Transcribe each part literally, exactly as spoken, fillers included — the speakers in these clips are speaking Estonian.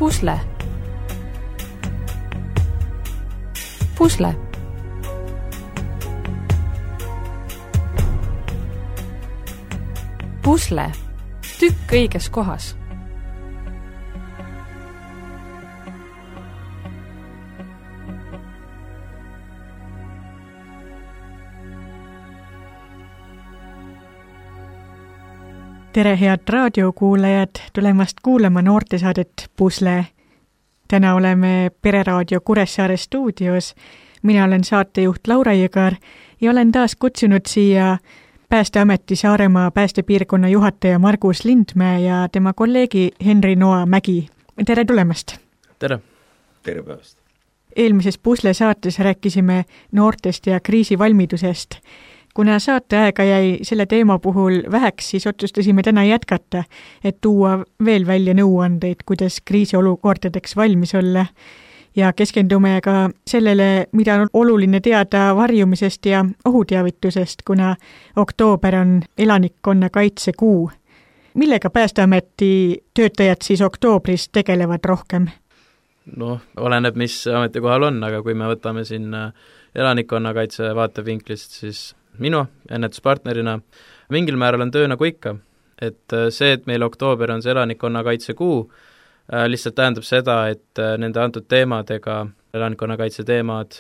Pusle. Pusle. Pusle. Tükk õiges kohas. Tere head raadiokuulajad, tulemast kuulama noortesaadet Pusle. Täna oleme Pereraadio Kuressaare stuudios. Mina olen saatejuht Laura Jõgar ja olen taas kutsunud siia Päästeameti Saaremaa päästepiirkonna juhataja Margus Lindmäe ja tema kolleegi Henri Noa Mägi. Tere tulemast! Tere! Tere päevast! Eelmises Pusle saates rääkisime noortest ja kriisivalmidusest. Kuna saateaega jäi selle teema puhul väheks, siis otsustasime täna jätkata, et tuua veel välja nõuandeid, kuidas kriisiolukordadeks valmis olla. Ja keskendume ka sellele, mida on oluline teada varjumisest ja ohuteavitusest, kuna oktoober on elanikkonna kaitsekuu. Millega Päästeameti töötajad siis oktoobris tegelevad rohkem? No, oleneb, mis ametikohal on, aga kui me võtame siin elanikkonnakaitse vaatevinklist, siis minu ennetuspartnerina mingil määral on töö nagu ikka, et see, et meil oktoober on see elanikkonnakaitse kuu, lihtsalt tähendab seda, et nende antud teemadega, elanikkonnakaitse teemad,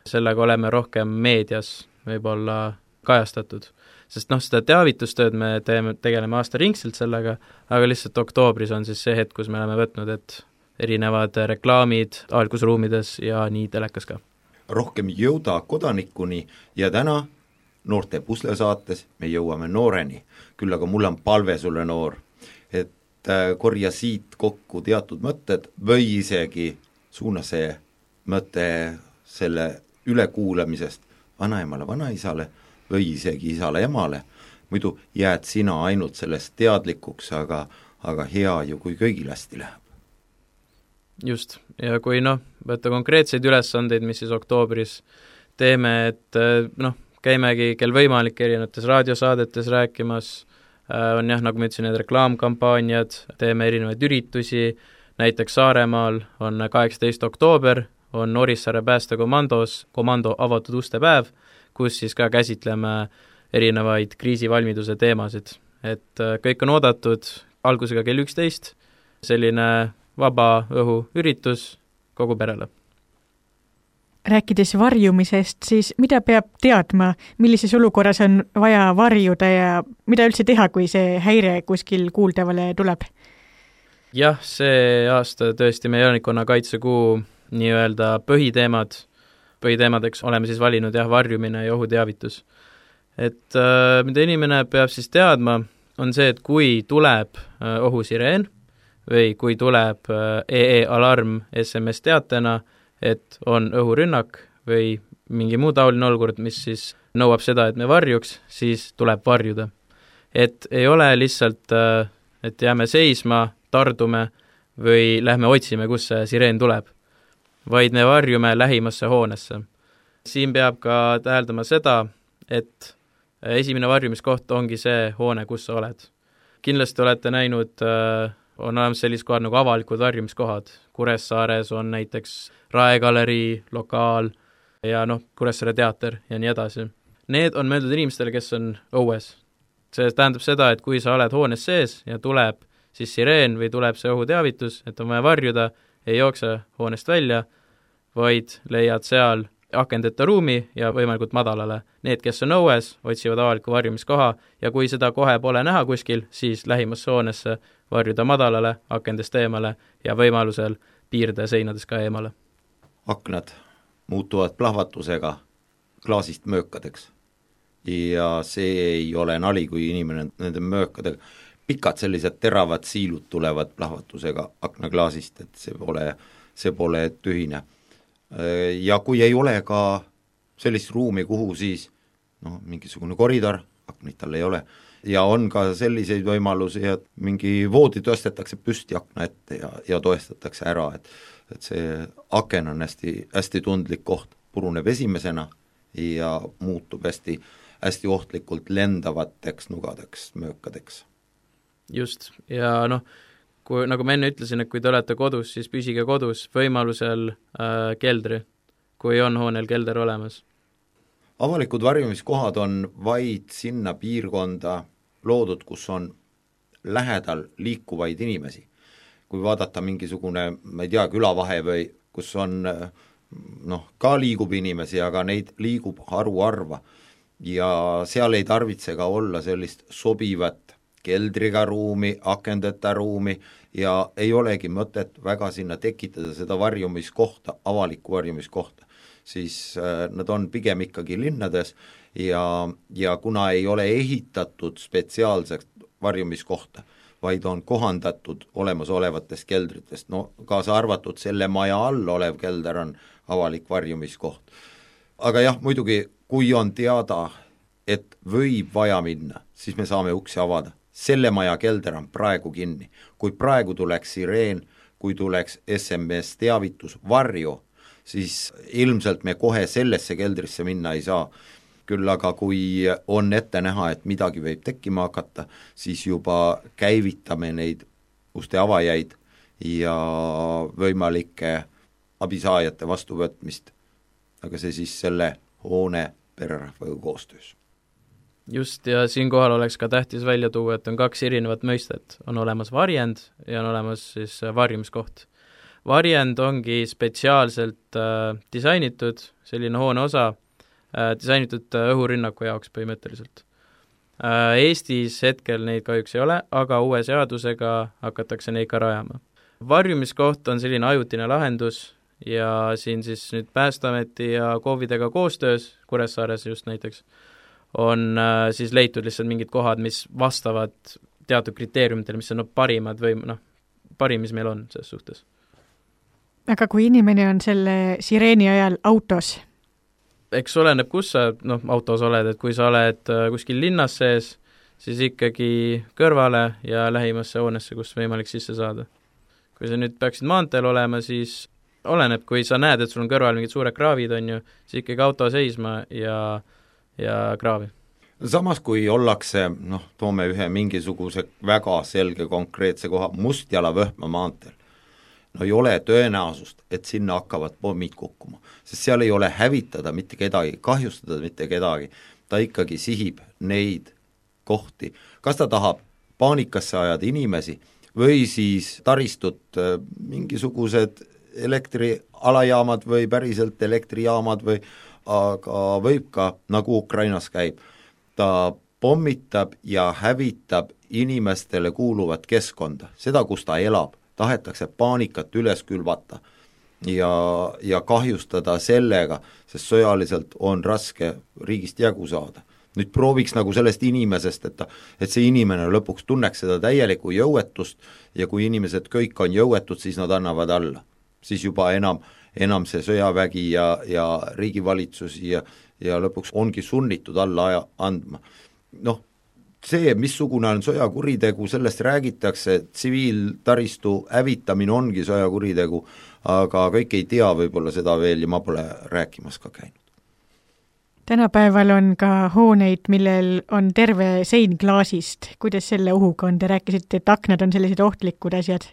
sellega oleme rohkem meedias võib-olla kajastatud. Sest noh, seda teavitustööd me teeme, tegeleme aastaringselt sellega, aga lihtsalt oktoobris on siis see hetk, kus me oleme võtnud, et erinevad reklaamid avalikus ruumides ja nii telekas ka. Rohkem jõuda kodanikuni ja täna noorte Pusle saates me jõuame nooreni, küll aga mul on palve sulle noor, et korja siit kokku teatud mõtted või isegi suuna see mõte selle ülekuulamisest vanaemale, vanaisale või isegi isale emale, muidu jääd sina ainult sellest teadlikuks, aga, aga hea ju, kui kõigil hästi läheb. Just, ja kui noh, võtta konkreetseid ülesandeid, mis siis oktoobris teeme, et noh, käimegi kel võimalik erinevates raadiosaadetes rääkimas, on jah, nagu ma ütlesin, need reklaamkampaaniad, teeme erinevaid üritusi, näiteks Saaremaal on kaheksateistkümnes oktoober, on Orissaare päästekomandos komando avatud uste päev, kus siis ka käsitleme erinevaid kriisivalmiduse teemasid. Et kõik on oodatud algusega kell üksteist, selline vaba õhu üritus kogu perele. Rääkides varjumisest, siis mida peab teadma, millises olukorras on vaja varjuda ja mida üldse teha, kui see häire kuskil kuuldavale tuleb? Jah, see aasta tõesti meie elanikkonnakaitsekuu nii-öelda põhiteemad, põhiteemadeks oleme siis valinud jah, varjumine ja ohuteavitus. Et äh, mida inimene peab siis teadma, on see, et kui tuleb äh, ohusireen või kui tuleb äh, E E-alarm S M S-teatena, et on õhurünnak või mingi muu taoline olukord, mis siis nõuab seda, et me varjuks, siis tuleb varjuda. Et ei ole lihtsalt, et jääme seisma, tardume või lähme otsime, kus see sireen tuleb, vaid me varjume lähimasse hoonesse. Siin peab ka täheldama seda, et esimene varjumiskoht ongi see hoone, kus sa oled. Kindlasti olete näinud, on olemas sellised kohad nagu avalikud varjumiskohad. Kuressaares on näiteks Raegalerii, lokaal ja noh, Kuressaare teater ja nii edasi. Need on mõeldud inimestele, kes on õues. See tähendab seda, et kui sa oled hoones sees ja tuleb siis sireen või tuleb see ohuteavitus, et on vaja varjuda, ei jookse hoonest välja, vaid leiad seal akendeta ruumi ja võimalikult madalale. Need, kes on õues, otsivad avaliku varjumiskoha ja kui seda kohe pole näha kuskil, siis lähimasse hoonesse varjuda madalale, akendest eemale ja võimalusel piirde seinades ka eemale. Aknad muutuvad plahvatusega klaasist möökadeks ja see ei ole nali, kui inimene nende möökadega, pikad sellised teravad siilud tulevad plahvatusega aknaklaasist, et see pole, see pole tühine. Ja kui ei ole ka sellist ruumi, kuhu siis no, mingisugune koridor, aknid tal ei ole, ja on ka selliseid võimalusi, et mingi voodi tõstetakse püsti akna ette ja, ja toestatakse ära, et, et see aken on hästi, hästi tundlik koht, puruneb esimesena ja muutub hästi, hästi ohtlikult lendavateks nugadeks, möökadeks. Just, ja noh, kui, nagu ma enne ütlesin, et kui te olete kodus, siis püsige kodus, võimalusel äh, keldri, kui on hoonel kelder olemas. Avalikud varjumiskohad on vaid sinna piirkonda loodud, kus on lähedal liikuvaid inimesi. Kui vaadata mingisugune, ma ei tea, külavahe või kus on, noh, ka liigub inimesi, aga neid liigub haruharva ja seal ei tarvitse ka olla sellist sobivat keldriga ruumi, akendeta ruumi ja ei olegi mõtet väga sinna tekitada seda varjumiskohta, avalikku varjumiskohta, siis nad on pigem ikkagi linnades ja, ja kuna ei ole ehitatud spetsiaalselt varjumiskohta, vaid on kohandatud olemasolevatest keldritest, no kaasa arvatud selle maja all olev kelder on avalik varjumiskoht. Aga jah, muidugi, kui on teada, et võib vaja minna, siis me saame uksi avada. Selle maja kelder on praegu kinni. Kui praegu tuleks sireen, kui tuleks S M S teavitus varju, siis ilmselt me kohe sellesse keldrisse minna ei saa. Küll aga kui on ette näha, et midagi võib tekkima hakata, siis juba käivitame neid uste avajaid ja võimalike abisaajate vastuvõtmist, aga see siis selle hoone pererahvaga koostöös. Just, ja siinkohal oleks ka tähtis välja tuua, et on kaks erinevat mõistet. On olemas varjend ja on olemas siis varjumiskoht. Varjend ongi spetsiaalselt äh, disainitud, selline hoone osa, disainitud õhurünnaku jaoks põhimõtteliselt. Eestis hetkel neid kahjuks ei ole, aga uue seadusega hakatakse neid ka rajama. Varjumiskoht on selline ajutine lahendus ja siin siis nüüd Päästeameti ja KOV-idega koostöös, Kuressaares just näiteks, on siis leitud lihtsalt mingid kohad, mis vastavad teatud kriteeriumitele, mis on no, parimad või noh, parim, mis meil on selles suhtes. Aga kui inimene on selle sireeni ajal autos, eks oleneb, kus sa noh, autos oled, et kui sa oled kuskil linnas sees, siis ikkagi kõrvale ja lähimasse hoonesse, kus võimalik sisse saada. Kui sa nüüd peaksid maanteel olema, siis oleneb, kui sa näed, et sul on kõrval mingid suured kraavid, on ju, siis ikkagi auto seisma ja, ja kraavi. Samas, kui ollakse, noh, toome ühe mingisuguse väga selge konkreetse koha, Mustjala Võhma maanteel, no ei ole tõenäosust, et sinna hakkavad pommid kukkuma, sest seal ei ole hävitada mitte kedagi, kahjustada mitte kedagi, ta ikkagi sihib neid kohti. Kas ta tahab paanikasse ajada inimesi või siis taristut mingisugused elektrialajaamad või päriselt elektrijaamad või aga võib ka, nagu Ukrainas käib, ta pommitab ja hävitab inimestele kuuluvat keskkonda, seda, kus ta elab, tahetakse paanikat üles külvata ja, ja kahjustada sellega, sest sõjaliselt on raske riigist jagu saada. Nüüd prooviks nagu sellest inimesest, et, ta, et see inimene lõpuks tunneks seda täielikku jõuetust ja kui inimesed kõik on jõuetud, siis nad annavad alla. Siis juba enam, enam see sõjavägi ja, ja riigivalitsus ja, ja lõpuks ongi sunnitud alla aja andma. Noh, see, missugune on sõjakuritegu, sellest räägitakse, tsiviiltaristu hävitamine ongi sõjakuritegu, aga kõik ei tea võib-olla seda veel ja ma pole rääkimas ka käinud. Tänapäeval on ka hooneid, millel on terve sein klaasist. Kuidas selle ohuga on? Te rääkisite, et aknad on sellised ohtlikud asjad.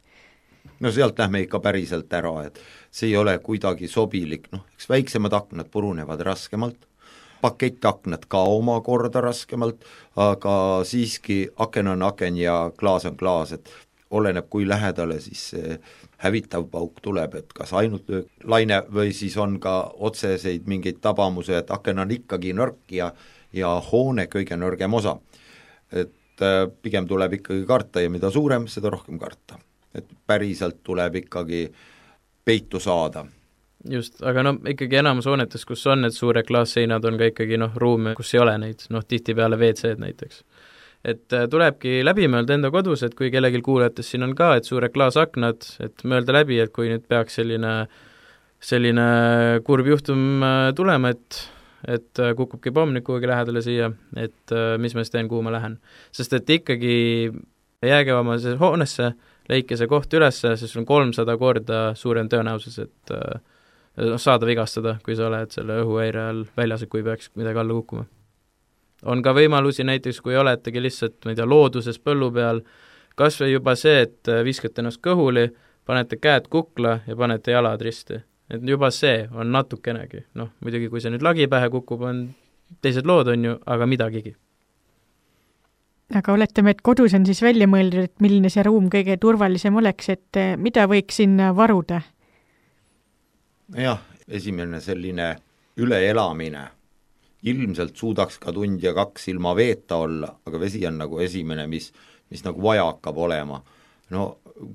No sealt lähme ikka päriselt ära, et see ei ole kuidagi sobilik, noh, eks väiksemad aknad purunevad raskemalt, pakettaknad ka omakorda raskemalt, aga siiski aken on aken ja klaas on klaas, et oleneb, kui lähedale siis see hävitav pauk tuleb, et kas ainult laine või siis on ka otseseid mingeid tabamuse, et aken on ikkagi nõrk ja, ja hoone kõige nõrgem osa. Et pigem tuleb ikkagi karta ja mida suurem, seda rohkem karta. Et päriselt tuleb ikkagi peitu saada. Just, aga no ikkagi enamus hoonetes, kus on need suure klaasseinad, on ka ikkagi noh, ruume, kus ei ole neid, noh tihti peale V C-d näiteks. Et tulebki läbi mõelda enda kodus, et kui kellelgi kuulajates siin on ka, et suure klaasaknad, et mõelda läbi, et kui nüüd peaks selline, selline kurb juhtum tulema, et, et kukubki pomm nüüd kuhugi lähedale siia, et mis ma siis teen, kuhu ma lähen. Sest et ikkagi jääge oma hoonesse, leike see koht ülesse, sest on kolmsada korda suurem tõenäosus, et äh, saada vigastada, kui sa oled selle õhuhäire all väljas, kui peaks midagi alla kukkuma. On ka võimalusi näiteks, kui oletegi lihtsalt, ma ei tea, looduses põllu peal, kas või juba see, et viskate ennast kõhuli, panete käed kukla ja panete jalad risti. Et juba see on natukenegi, noh, muidugi kui see nüüd lagi pähe kukub, on teised lood, on ju, aga midagigi. Aga oletame, et kodus on siis välja mõeldud, et milline see ruum kõige turvalisem oleks, et mida võiks sinna varuda? Jah, esimene selline üleelamine. Ilmselt suudaks ka tund ja kaks ilma veeta olla, aga vesi on nagu esimene, mis, mis nagu vaja hakkab olema. No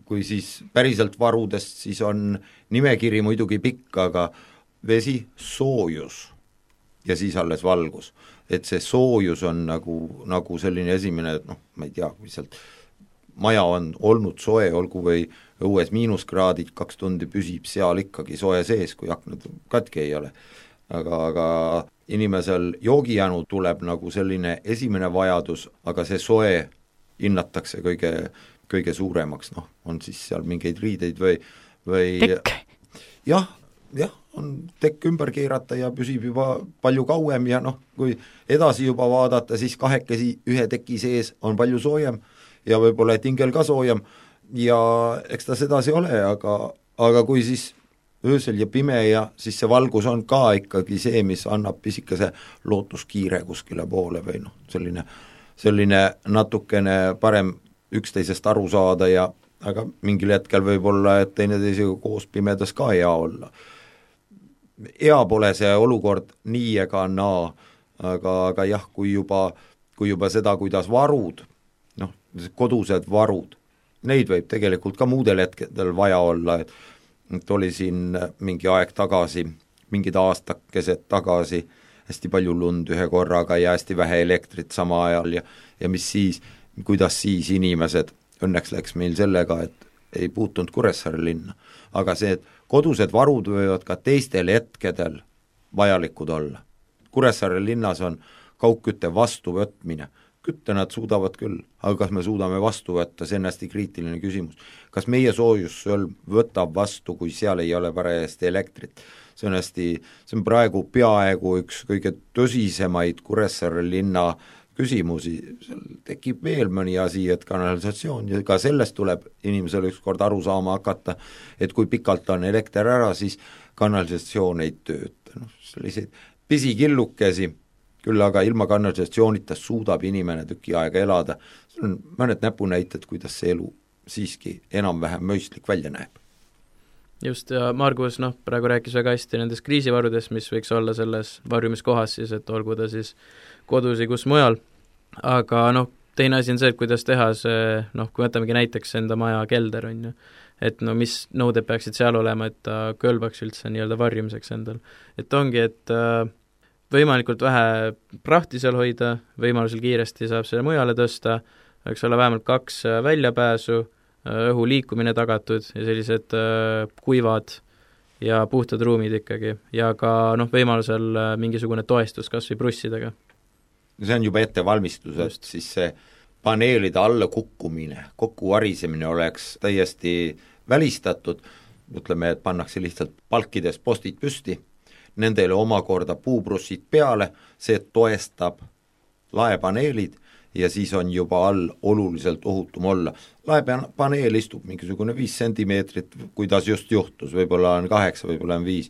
kui siis päriselt varudest, siis on nimekiri muidugi pikk, aga vesi, soojus ja siis alles valgus. Et see soojus on nagu, nagu selline esimene, noh, ma ei tea, kui sealt maja on olnud soe, olgu või õues miinuskraadid, kaks tundi püsib seal ikkagi soe sees, kui aknad katki ei ole. Aga, aga inimesel joogijänu tuleb nagu selline esimene vajadus, aga see soe hinnatakse kõige, kõige suuremaks, noh, on siis seal mingeid riideid või, või tekk. jah, jah, on tekk ümber keerata ja püsib juba palju kauem ja noh, kui edasi juba vaadata, siis kahekesi ühe teki sees on palju soojem ja võib-olla et hingel ka soojem ja eks ta sedasi ole, aga, aga kui siis öösel ja pime ja siis see valgus on ka ikkagi see, mis annab pisikese lootuskiire kuskile poole või noh, selline, selline natukene parem üksteisest aru saada ja aga mingil hetkel võib olla, et teineteisega koos pimedas ka hea olla. Hea pole see olukord nii ega naa, aga, aga jah, kui juba, kui juba seda, kuidas varud, noh, kodused varud, neid võib tegelikult ka muudel hetkedel vaja olla, et, et oli siin mingi aeg tagasi, mingid aastakesed tagasi, hästi palju lund ühe korraga ja hästi vähe elektrit sama ajal ja, ja mis siis, kuidas siis inimesed, õnneks läks meil sellega, et ei puutunud Kuressaare linna, aga see, et kodused varud võivad ka teistel hetkedel vajalikud olla. Kuressaare linnas on kaugkütte vastuvõtmine, kütte nad suudavad küll, aga kas me suudame vastu võtta, see on hästi kriitiline küsimus. Kas meie soojussõlm võtab vastu, kui seal ei ole parajasti elektrit? See on hästi, see on praegu peaaegu üks kõige tõsisemaid Kuressaare linna küsimusi, seal tekib veel mõni asi, et kanalisatsioon ja ka sellest tuleb inimesel ükskord aru saama hakata, et kui pikalt on elekter ära, siis kanalisatsioon ei tööta. No, selliseid pisikillukesi, küll aga ilma kanalisatsioonita suudab inimene tüki aega elada. See on mõned näpunäited, kuidas see elu siiski enam-vähem mõistlik välja näeb. Just, ja Margus, noh, praegu rääkis väga hästi nendest kriisivarudest, mis võiks olla selles varjumiskohas siis, et olgu ta siis kodus ja kus mujal, aga noh, teine asi on see, et kuidas teha see, noh, kui võtamegi näiteks enda maja kelder, on ju, et no mis nõuded peaksid seal olema, et ta kõlbaks üldse nii-öelda varjumiseks endal. Et ongi, et äh, võimalikult vähe prahti seal hoida, võimalusel kiiresti saab selle mujale tõsta, võiks olla vähemalt kaks väljapääsu, õhu liikumine tagatud ja sellised äh, kuivad ja puhtad ruumid ikkagi ja ka noh, võimalusel äh, mingisugune toestus kas või brussidega. See on juba ettevalmistus, et siis see paneelide alla kukkumine, kokku varisemine oleks täiesti välistatud, ütleme, et pannakse lihtsalt palkides postid püsti, nendele omakorda puubrussid peale, see toestab laepaneelid ja siis on juba all oluliselt ohutum olla. Laepaneel istub mingisugune viis sentimeetrit, kuidas just juhtus, võib-olla on kaheksa, võib-olla on viis,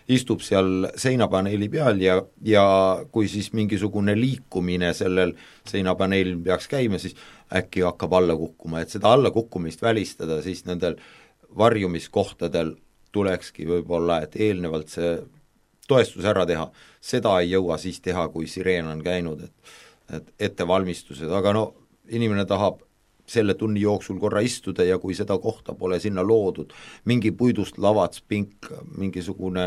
istub seal seinapaneeli peal ja, ja kui siis mingisugune liikumine sellel seinapaneelil peaks käima, siis äkki hakkab alla kukkuma, et seda alla kukkumist välistada, siis nendel varjumiskohtadel tulekski võib-olla, et eelnevalt see toestus ära teha, seda ei jõua siis teha, kui sireen on käinud, et et ettevalmistused, aga no inimene tahab selle tunni jooksul korra istuda ja kui seda kohta pole sinna loodud, mingi puidust lavats, pink, mingisugune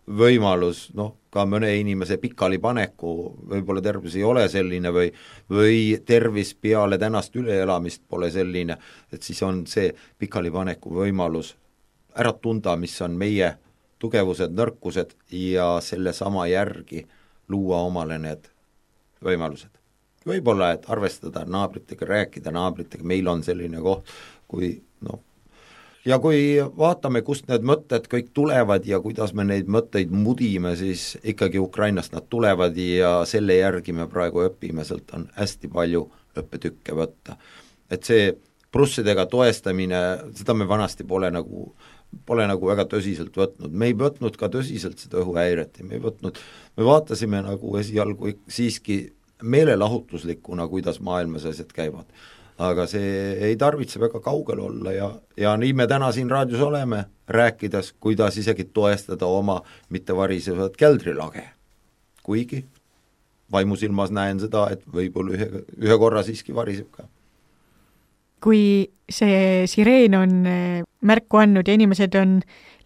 võimalus, noh, ka mõne inimese pikali paneku, võib-olla tervis ei ole selline või, või tervis peale tänast üleelamist pole selline, et siis on see pikali paneku võimalus ära tunda, mis on meie tugevused, nõrkused ja selle sama järgi luua omale need võimalused. Võib-olla, et arvestada naabritega, rääkida naabritega, meil on selline koht, kui noh, ja kui vaatame, kust need mõtted kõik tulevad ja kuidas me neid mõtteid mudime, siis ikkagi Ukrainast nad tulevad ja selle järgi me praegu õpime, sealt on hästi palju õppetükke võtta. Et see prussidega toestamine, seda me vanasti pole nagu pole nagu väga tõsiselt võtnud, me ei võtnud ka tõsiselt seda õhuhäiret ja me ei võtnud, me vaatasime nagu esialgu siiski meelelahutuslikuna, kuidas maailmas asjad käivad. Aga see ei tarvitse väga kaugel olla ja, ja nii me täna siin raadios oleme, rääkides, kuidas isegi toestada oma mitte varisevat keldrilage. Kuigi vaimusilmas näen seda, et võib-olla ühe, ühe korra siiski variseb ka. Kui see sireen on märku andnud ja inimesed on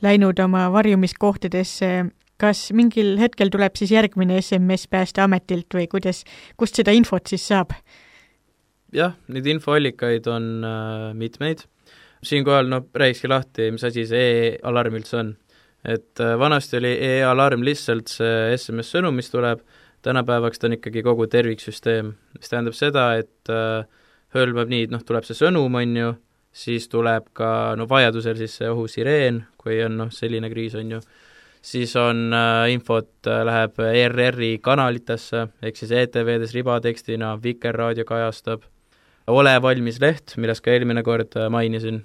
läinud oma varjumiskohtadesse, kas mingil hetkel tuleb siis järgmine S M S Päästeametilt või kuidas, kust seda infot siis saab? Jah, neid infoallikaid on äh, mitmeid. Siinkohal no, rääkski lahti, mis asi see e-alarm üldse on. Et äh, vanasti oli e-alarm lihtsalt see S M S-sõnum, mis tuleb, tänapäevaks ta on ikkagi kogu terviksüsteem, mis tähendab seda, et äh, hõlmab nii, noh, tuleb see sõnum, on ju, siis tuleb ka, no vajadusel siis see ohusireen, kui on, noh, selline kriis, on ju, siis on äh, infot, äh, läheb E R R-i kanalitesse, ehk siis E T V-des ribatekstina, Vikerraadio kajastab, Ole valmis leht, millest ka eelmine kord äh, mainisin,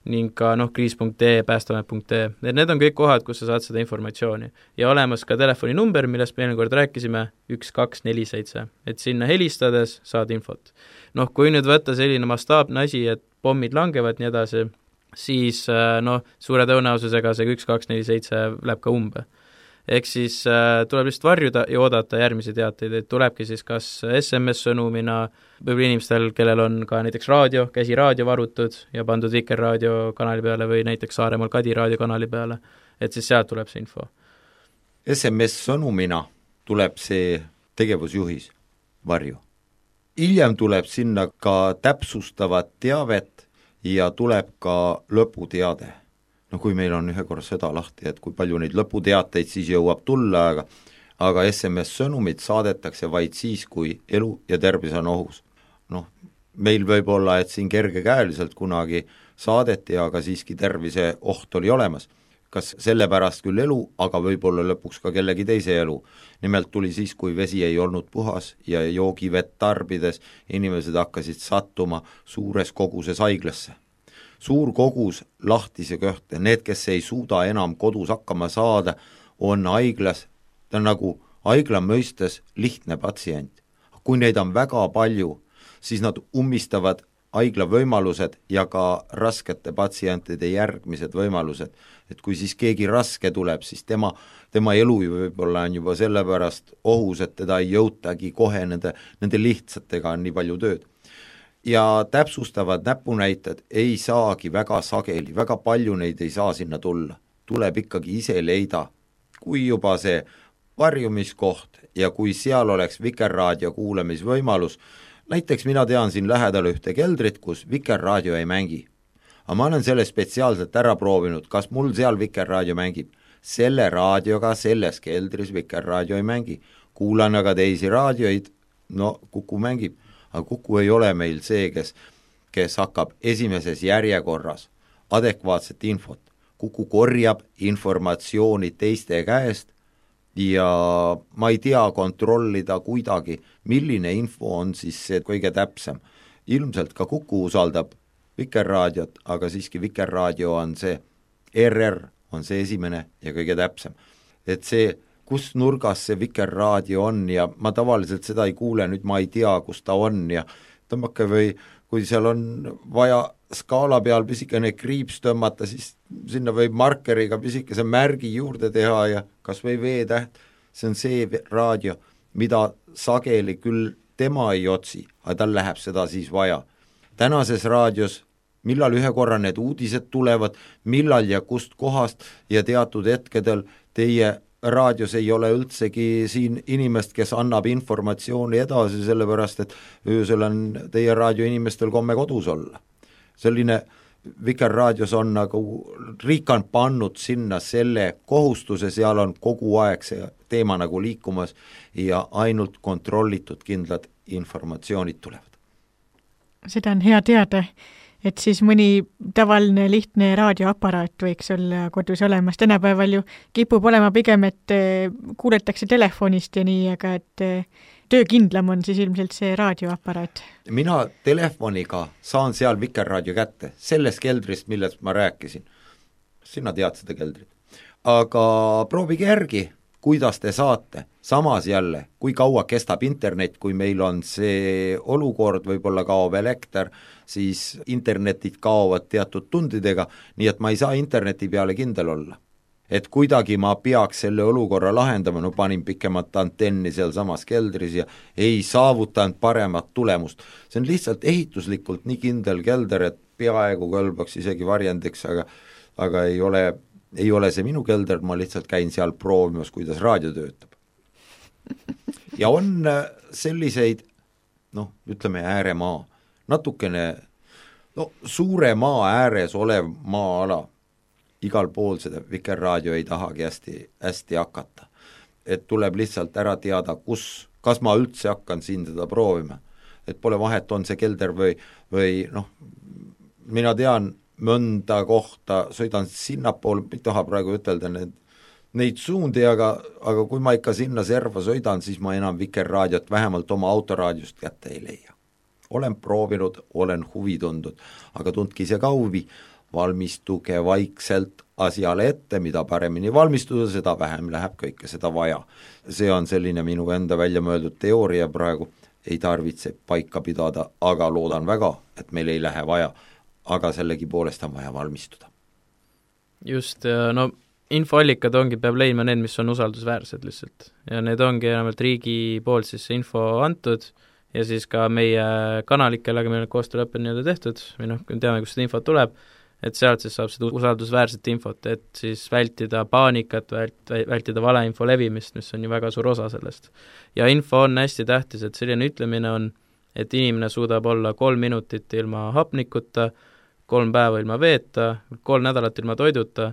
ning ka, noh, kriis punkt ee, päästamet punkt ee, et need on kõik kohad, kus sa saad seda informatsiooni. Ja olemas ka telefoninumber, millest me eelmine kord rääkisime, üks kaks neli seitse, et sinna helistades saad infot. Noh, kui nüüd võtta selline mastaapne asi, et pommid langevad nii edasi, siis noh, suure tõenäosusega see üks kaks neli seitse läheb ka umbe. Ehk siis äh, tuleb lihtsalt varjuda ja oodata järgmisi teateid, et tulebki siis kas S M S-sõnumina, võib-olla inimestel, kellel on ka näiteks raadio, käsiraadio varutud ja pandud Vikerraadio kanali peale või näiteks Saaremaal Kadi raadio kanali peale, et siis sealt tuleb see info. S M S-sõnumina tuleb see tegevusjuhis varju. Hiljem tuleb sinna ka täpsustavat teavet ja tuleb ka lõputeade. No kui meil on ühe korra seda lahti, et kui palju neid lõputeateid siis jõuab tulla, aga, aga S M S-sõnumid saadetakse vaid siis, kui elu ja tervis on ohus. Noh, meil võib olla, et siin kergekäeliselt kunagi saadeti, aga siiski tervise oht oli olemas. Kas sellepärast küll elu, aga võib-olla lõpuks ka kellegi teise elu. Nimelt tuli siis, kui vesi ei olnud puhas ja joogivett tarbides inimesed hakkasid sattuma suures koguses haiglasse. Suur kogus lahtise köhte, need, kes ei suuda enam kodus hakkama saada, on haiglas, ta on nagu haigla mõistes lihtne patsient. Kui neid on väga palju, siis nad ummistavad haigla võimalused ja ka raskete patsientide järgmised võimalused. Et kui siis keegi raske tuleb, siis tema, tema elu võib-olla on juba sellepärast ohus, et teda ei jõutagi kohe nende, nende lihtsatega on nii palju tööd. Ja täpsustavad näpunäited ei saagi väga sageli, väga palju neid ei saa sinna tulla. Tuleb ikkagi ise leida, kui juba see varjumiskoht ja kui seal oleks Vikerraadio kuulamisvõimalus, näiteks mina tean siin lähedal ühte keldrit, kus Vikerraadio ei mängi. Aga ma olen selle spetsiaalselt ära proovinud, kas mul seal Vikerraadio mängib. Selle raadioga selles keldris Vikerraadio ei mängi. Kuulan aga teisi raadioid, no Kuku mängib. Aga Kuku ei ole meil see, kes, kes hakkab esimeses järjekorras adekvaatset infot. Kuku korjab informatsiooni teiste käest ja ma ei tea kontrollida kuidagi, milline info on siis see kõige täpsem. Ilmselt ka Kuku usaldab Vikerraadiot, aga siiski Vikerraadio on see, R R on see esimene ja kõige täpsem. Et see kus nurgas see Vikerraadio on ja ma tavaliselt seda ei kuule, nüüd ma ei tea, kus ta on ja tõmmake või kui seal on vaja skaala peal pisikene kriips tõmmata, siis sinna võib markeriga pisikese märgi juurde teha ja kas või V-täht, see on see raadio, mida sageli küll tema ei otsi, aga tal läheb seda siis vaja. Tänases raadios, millal ühe korra need uudised tulevad, millal ja kust kohast ja teatud hetkedel teie raadios ei ole üldsegi siin inimest, kes annab informatsiooni edasi, sellepärast, et öösel on teie raadio inimestel komme kodus olla. Selline Vikerraadios on nagu, riik on pannud sinna selle kohustuse, seal on kogu aeg see teema nagu liikumas ja ainult kontrollitud kindlad informatsioonid tulevad. Seda on hea teada, et siis mõni tavaline lihtne raadioaparaat võiks olla kodus olemas. Tänapäeval ju kipub olema pigem, et kuuletakse telefonist ja nii, aga et töökindlam on siis ilmselt see raadioaparaat. mina telefoniga saan seal Vikerraadio kätte, sellest keldrist, millest ma rääkisin. Sina tead seda keldrit. Aga proovige järgi, kuidas te saate, samas jälle, kui kaua kestab internet, kui meil on see olukord, võib-olla kaob elekter, siis internetid kaovad teatud tundidega, nii et ma ei saa interneti peale kindel olla. Et kuidagi ma peaks selle olukorra lahendama, no panin pikemat antenni seal samas keldris ja ei saavutanud paremat tulemust. See on lihtsalt ehituslikult nii kindel kelder, et peaaegu kõlbaks isegi varjendiks, aga, aga ei ole ei ole see minu kelder, ma lihtsalt käin seal proovimas, kuidas raadio töötab. Ja on selliseid, noh, ütleme ääremaa, natukene, no suure maa ääres olev maa-ala, igal pool seda Vikerraadio ei tahagi hästi, hästi hakata. Et tuleb lihtsalt ära teada, kus, kas ma üldse hakkan siin seda proovima. Et pole vahet, on see kelder või, või noh, mina tean, mõnda kohta, sõidan sinnapool, ei taha praegu ütelda need, neid suundi, aga, aga kui ma ikka sinna serva sõidan, siis ma enam Vikerraadiot vähemalt oma autoraadiost kätte ei leia. Olen proovinud, olen huvi tundnud, aga tundki ise ka huvi, valmistuge vaikselt asjale ette, mida paremini valmistuda, seda vähem läheb kõike seda vaja. See on selline minu enda välja mõeldud teooria praegu, ei tarvitse paika pidada, aga loodan väga, et meil ei lähe vaja, aga sellegi poolest on vaja valmistuda. Just, no infoallikad ongi, peab leidma need, mis on usaldusväärsed lihtsalt. Ja need ongi enamalt riigi poolt siis see info antud ja siis ka meie kanalik, kellega meil on koostööleppe nii-öelda tehtud, või noh, teame, kus seda infot tuleb, et sealt siis saab seda usaldusväärset infot, et siis vältida paanikat, vält, vältida valeinfo levimist, mis on ju väga suur osa sellest. Ja info on hästi tähtis, et selline ütlemine on, et inimene suudab olla kolm minutit ilma hapnikuta, kolm päeva ilma veeta, kolm nädalat ilma toiduta,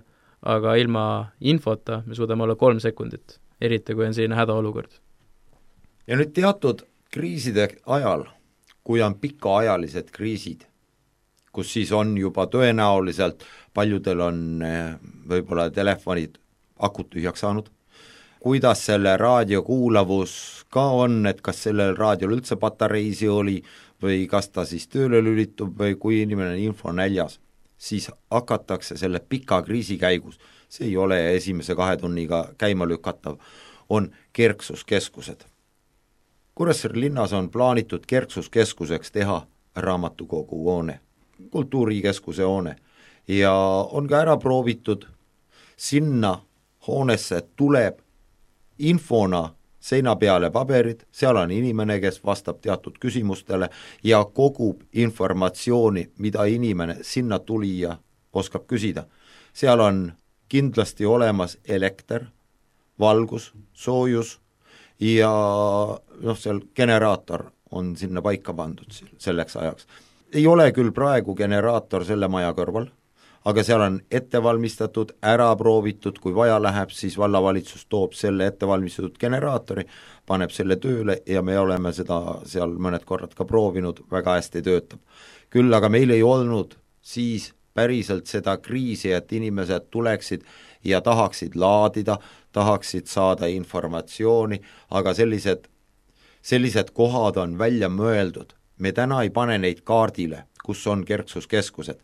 aga ilma infota me suudame olla kolm sekundit, eriti kui on selline hädaolukord. Ja nüüd teatud kriiside ajal, kui on pikaajalised kriisid, kus siis on juba tõenäoliselt, paljudel on võib-olla telefonid akut tühjaks saanud, kuidas selle raadio kuulavus ka on, et kas sellel raadiol üldse patareisi oli või kas ta siis tööle lülitub või kui inimene on info näljas, siis hakatakse selle pika kriisi käigus, see ei ole esimese kahe tunniga käima lükatav, on kerksuskeskused. Kuressaare linnas on plaanitud kerksuskeskuseks teha raamatukogu hoone, kultuurikeskuse hoone ja on ka ära proovitud, sinna hoonesse tuleb infona seina peale paberid, seal on inimene, kes vastab teatud küsimustele ja kogub informatsiooni, mida inimene sinna tulija oskab küsida. Seal on kindlasti olemas elekter, valgus, soojus ja noh, seal generaator on sinna paika pandud selleks ajaks. Ei ole küll praegu generaator selle maja kõrval, aga seal on ettevalmistatud, ära proovitud, kui vaja läheb, siis vallavalitsus toob selle ettevalmistatud generaatori, paneb selle tööle ja me oleme seda seal mõned korrad ka proovinud, väga hästi töötab. Küll aga meil ei olnud siis päriselt seda kriisi, et inimesed tuleksid ja tahaksid laadida, tahaksid saada informatsiooni, aga sellised, sellised kohad on välja mõeldud. Me täna ei pane neid kaardile, kus on kerksuskeskused.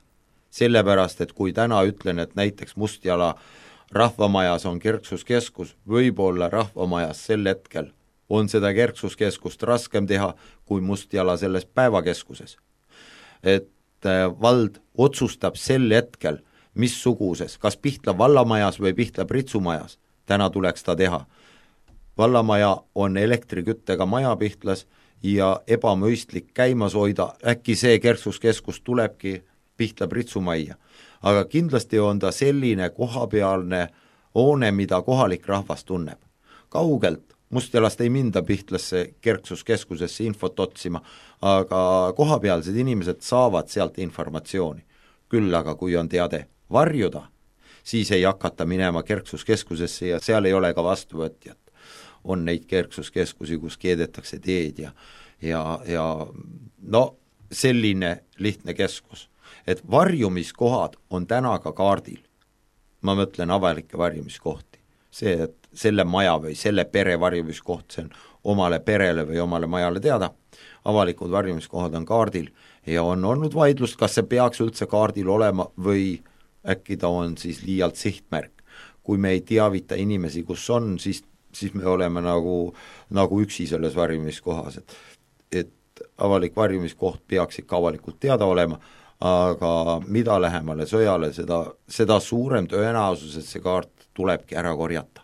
Sellepärast, et kui täna ütlen, et näiteks Mustjala rahvamajas on kerksuskeskus, võib-olla rahvamajas sel hetkel on seda kerksuskeskust raskem teha kui Mustjala selles päevakeskuses. Et vald otsustab sel hetkel, missuguses, kas Pihtla vallamajas või Pihtla Pritsumajas, täna tuleks ta teha. Vallamaja on elektriküttega maja Pihtlas ja ebamõistlik käimas hoida, äkki see kerksuskeskus tulebki Pihtla Pritsumajja, aga kindlasti on ta selline kohapealne hoone, mida kohalik rahvas tunneb. Kaugelt, Mustjalast ei minda Pihtlasse kerksuskeskusesse infot otsima, aga kohapealsed inimesed saavad sealt informatsiooni. Küll aga kui on teade varjuda, siis ei hakata minema kerksuskeskusesse ja seal ei ole ka vastuvõtjat. On neid kerksuskeskusi, kus keedetakse teed ja, ja, ja no selline lihtne keskus. Et varjumiskohad on täna ka kaardil. Ma mõtlen avalikke varjumiskohti. See, et selle maja või selle pere varjumiskoht, see on omale perele või omale majale teada, avalikud varjumiskohad on kaardil ja on olnud vaidlust, kas see peaks üldse kaardil olema või äkki ta on siis liialt sihtmärk. Kui me ei teavita inimesi, kus on, siis, siis me oleme nagu, nagu üksi selles varjumiskohas, et, et avalik varjumiskoht peaks ikka avalikult teada olema, aga mida lähemale sõjale, seda, seda suurem tõenäosus, et see kaart tulebki ära korjata,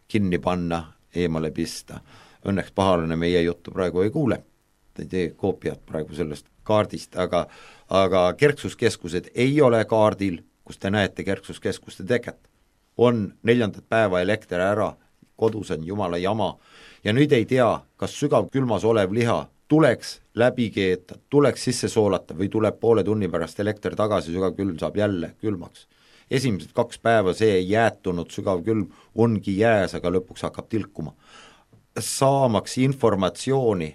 kinni panna, eemale pista. Õnneks pahalane meie juttu praegu ei kuule, ei tee koopiat praegu sellest kaardist, aga, aga kerksuskeskused ei ole kaardil, kus te näete kerksuskeskuste teket. On neljandat päeva elekter ära, kodus on jumala jama ja nüüd ei tea, kas sügav külmas olev liha tuleks läbi keeta, tuleks sisse soolata või tuleb poole tunni pärast elekter tagasi, sügav külm saab jälle külmaks. Esimesed kaks päeva see jäätunud sügav külm ongi jääs, aga lõpuks hakkab tilkuma. Saamaks informatsiooni,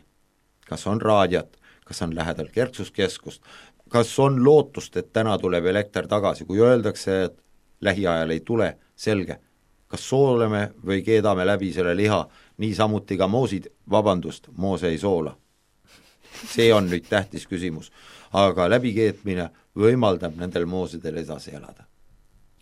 kas on raadiat, kas on lähedal kerksuskeskust, kas on lootust, et täna tuleb elekter tagasi, kui öeldakse, et lähiajal ei tule, selge, kas sooleme või keedame läbi selle liha, nii samuti ka moosid, vabandust, moose ei soola. See on nüüd tähtis küsimus, aga läbikeetmine võimaldab nendel moosidel edasi elada.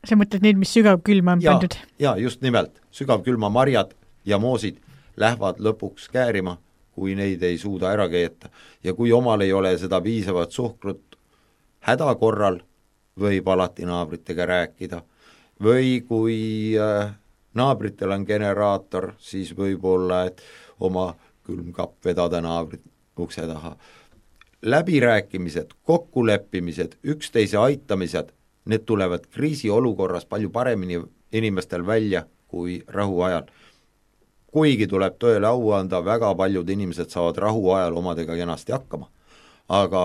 Sa mõtled neid, mis sügav külma on ja, pandud? Ja, just nimelt, sügav külma marjad ja moosid lähevad lõpuks käärima, kui neid ei suuda ära keeta. Ja kui omal ei ole seda piisavat suhkrut häda korral, võib alati naabritega rääkida. Või kui äh, naabritel on generaator, siis võib olla, et oma külmkapp vedada naabrit ukse taha. Läbirääkimised, kokkuleppimised, üksteise aitamised, need tulevad kriisiolukorras palju paremini inimestel välja kui rahu ajal. Kuigi tuleb tõele au anda, väga paljud inimesed saavad rahu ajal omadega kenasti hakkama. Aga,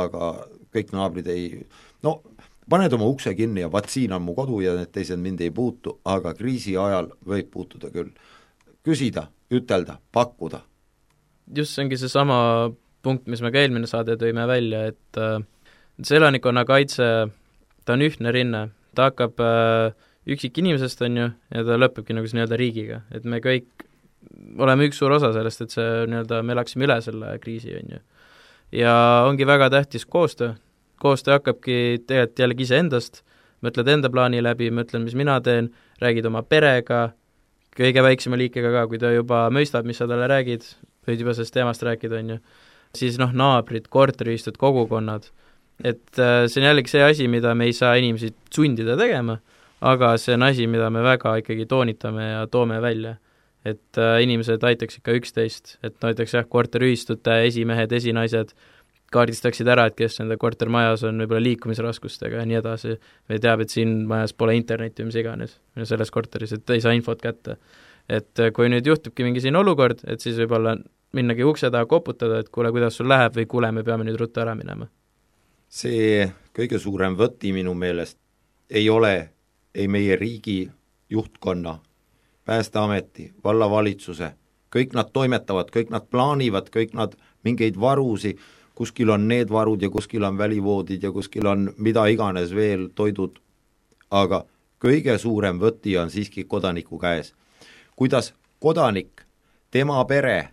aga kõik naabrid ei... No, paned oma ukse kinni ja vaat siin on mu kodu ja need teised mind ei puutu, aga kriisi ajal võib puutuda küll. Küsida, ütelda, pakkuda. Just see ongi see sama punkt, mis me ka eelmine saade tõime välja, et äh, see elanikkonna kaitse, ta on ühtne rinne, ta hakkab äh, üksik inimesest, on ju, ja ta lõpebki nagu see nii-öelda riigiga, et me kõik oleme üks suur osa sellest, et see nii-öelda, me elaksime üle selle kriisi, on ju. Ja ongi väga tähtis koostöö, koostöö hakkabki tegelikult jällegi ise endast, mõtled enda plaani läbi, mõtlen, mis mina teen, räägid oma perega, kõige väiksema liikega ka, kui ta juba mõistab, mis sa talle räägid, võid juba sellest teemast rääkida, on ju, siis noh, naabrid, korteriühistud, kogukonnad, et äh, see on jällegi see asi, mida me ei saa inimesi sundida tegema, aga see on asi, mida me väga ikkagi toonitame ja toome välja, et äh, inimesed aitaks ikka üksteist, et näiteks jah, korteriühistute esimehed, esinaised kaardistaksid ära, et kes nende kortermajas on võib-olla liikumisraskustega ja nii edasi, või teab, et siin majas pole internetti või mis iganes, selles korteris, et ei saa infot kätte. Et kui nüüd juhtubki mingi siin olukord, et siis võib-olla minnagi ukse taha koputada, et kuule, kuidas sul läheb või kuule, me peame nüüd ruttu ära minema. See kõige suurem võti minu meelest ei ole ei meie riigi juhtkonna, Päästeameti, vallavalitsuse, kõik nad toimetavad, kõik nad plaanivad, kõik nad mingeid varusi, kuskil on need varud ja kuskil on välivoodid ja kuskil on mida iganes veel toidud, aga kõige suurem võti on siiski kodaniku käes. Kuidas kodanik, tema pere,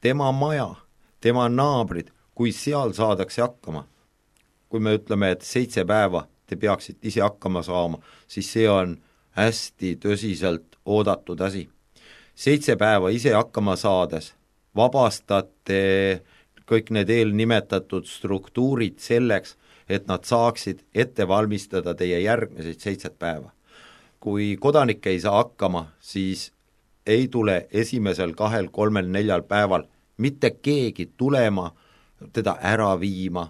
tema maja, tema naabrid, kui seal saadakse hakkama. Kui me ütleme, et seitse päeva te peaksid ise hakkama saama, siis see on hästi tõsiselt oodatud asi. Seitse päeva ise hakkama saades vabastate kõik need eelnimetatud struktuurid selleks, et nad saaksid ette valmistada teie järgmiseid seitset päeva. Kui kodanik ei saa hakkama, siis ei tule esimesel kahel, kolmel, neljal päeval mitte keegi tulema, teda ära viima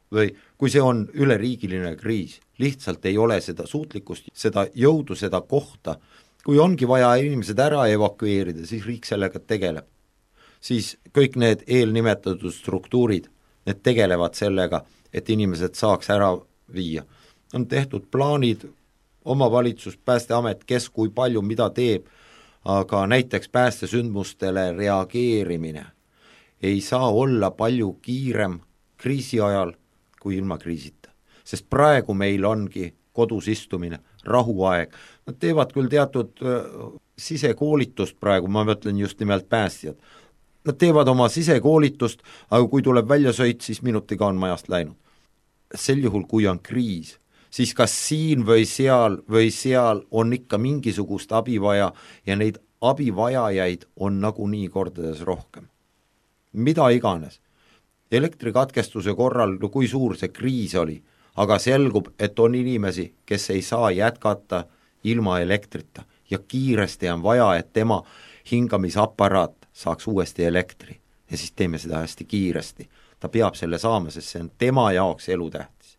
või kui see on üleriigiline kriis, lihtsalt ei ole seda suutlikkust, seda jõudu, seda kohta. Kui ongi vaja inimesed ära evakueerida, siis riik sellega tegeleb. Siis kõik need eelnimetatud struktuurid, need tegelevad sellega, et inimesed saaks ära viia. On tehtud plaanid, omavalitsus, Päästeamet, kes kui palju mida teeb, aga näiteks päästesündmustele reageerimine ei saa olla palju kiirem kriisi ajal kui ilma kriisita. Sest praegu meil ongi kodus istumine, rahuaeg. Nad teevad küll teatud sisekoolitust praegu, ma mõtlen just nimelt päästjad. Nad teevad oma sisekoolitust, aga kui tuleb välja sõit, siis minutiga on majast läinud. Sel juhul, kui on kriis, siis kas siin või seal või seal on ikka mingisugust abi vaja ja neid abivajajaid on nagunii kordades rohkem. Mida iganes. Elektrikatkestuse korral, no kui suur see kriis oli, aga selgub, et on inimesi, kes ei saa jätkata ilma elektrita ja kiiresti on vaja, et tema hingamisaparaat saaks uuesti elektri ja siis teeme seda hästi kiiresti. Ta peab selle saama, sest see on tema jaoks elutähtis.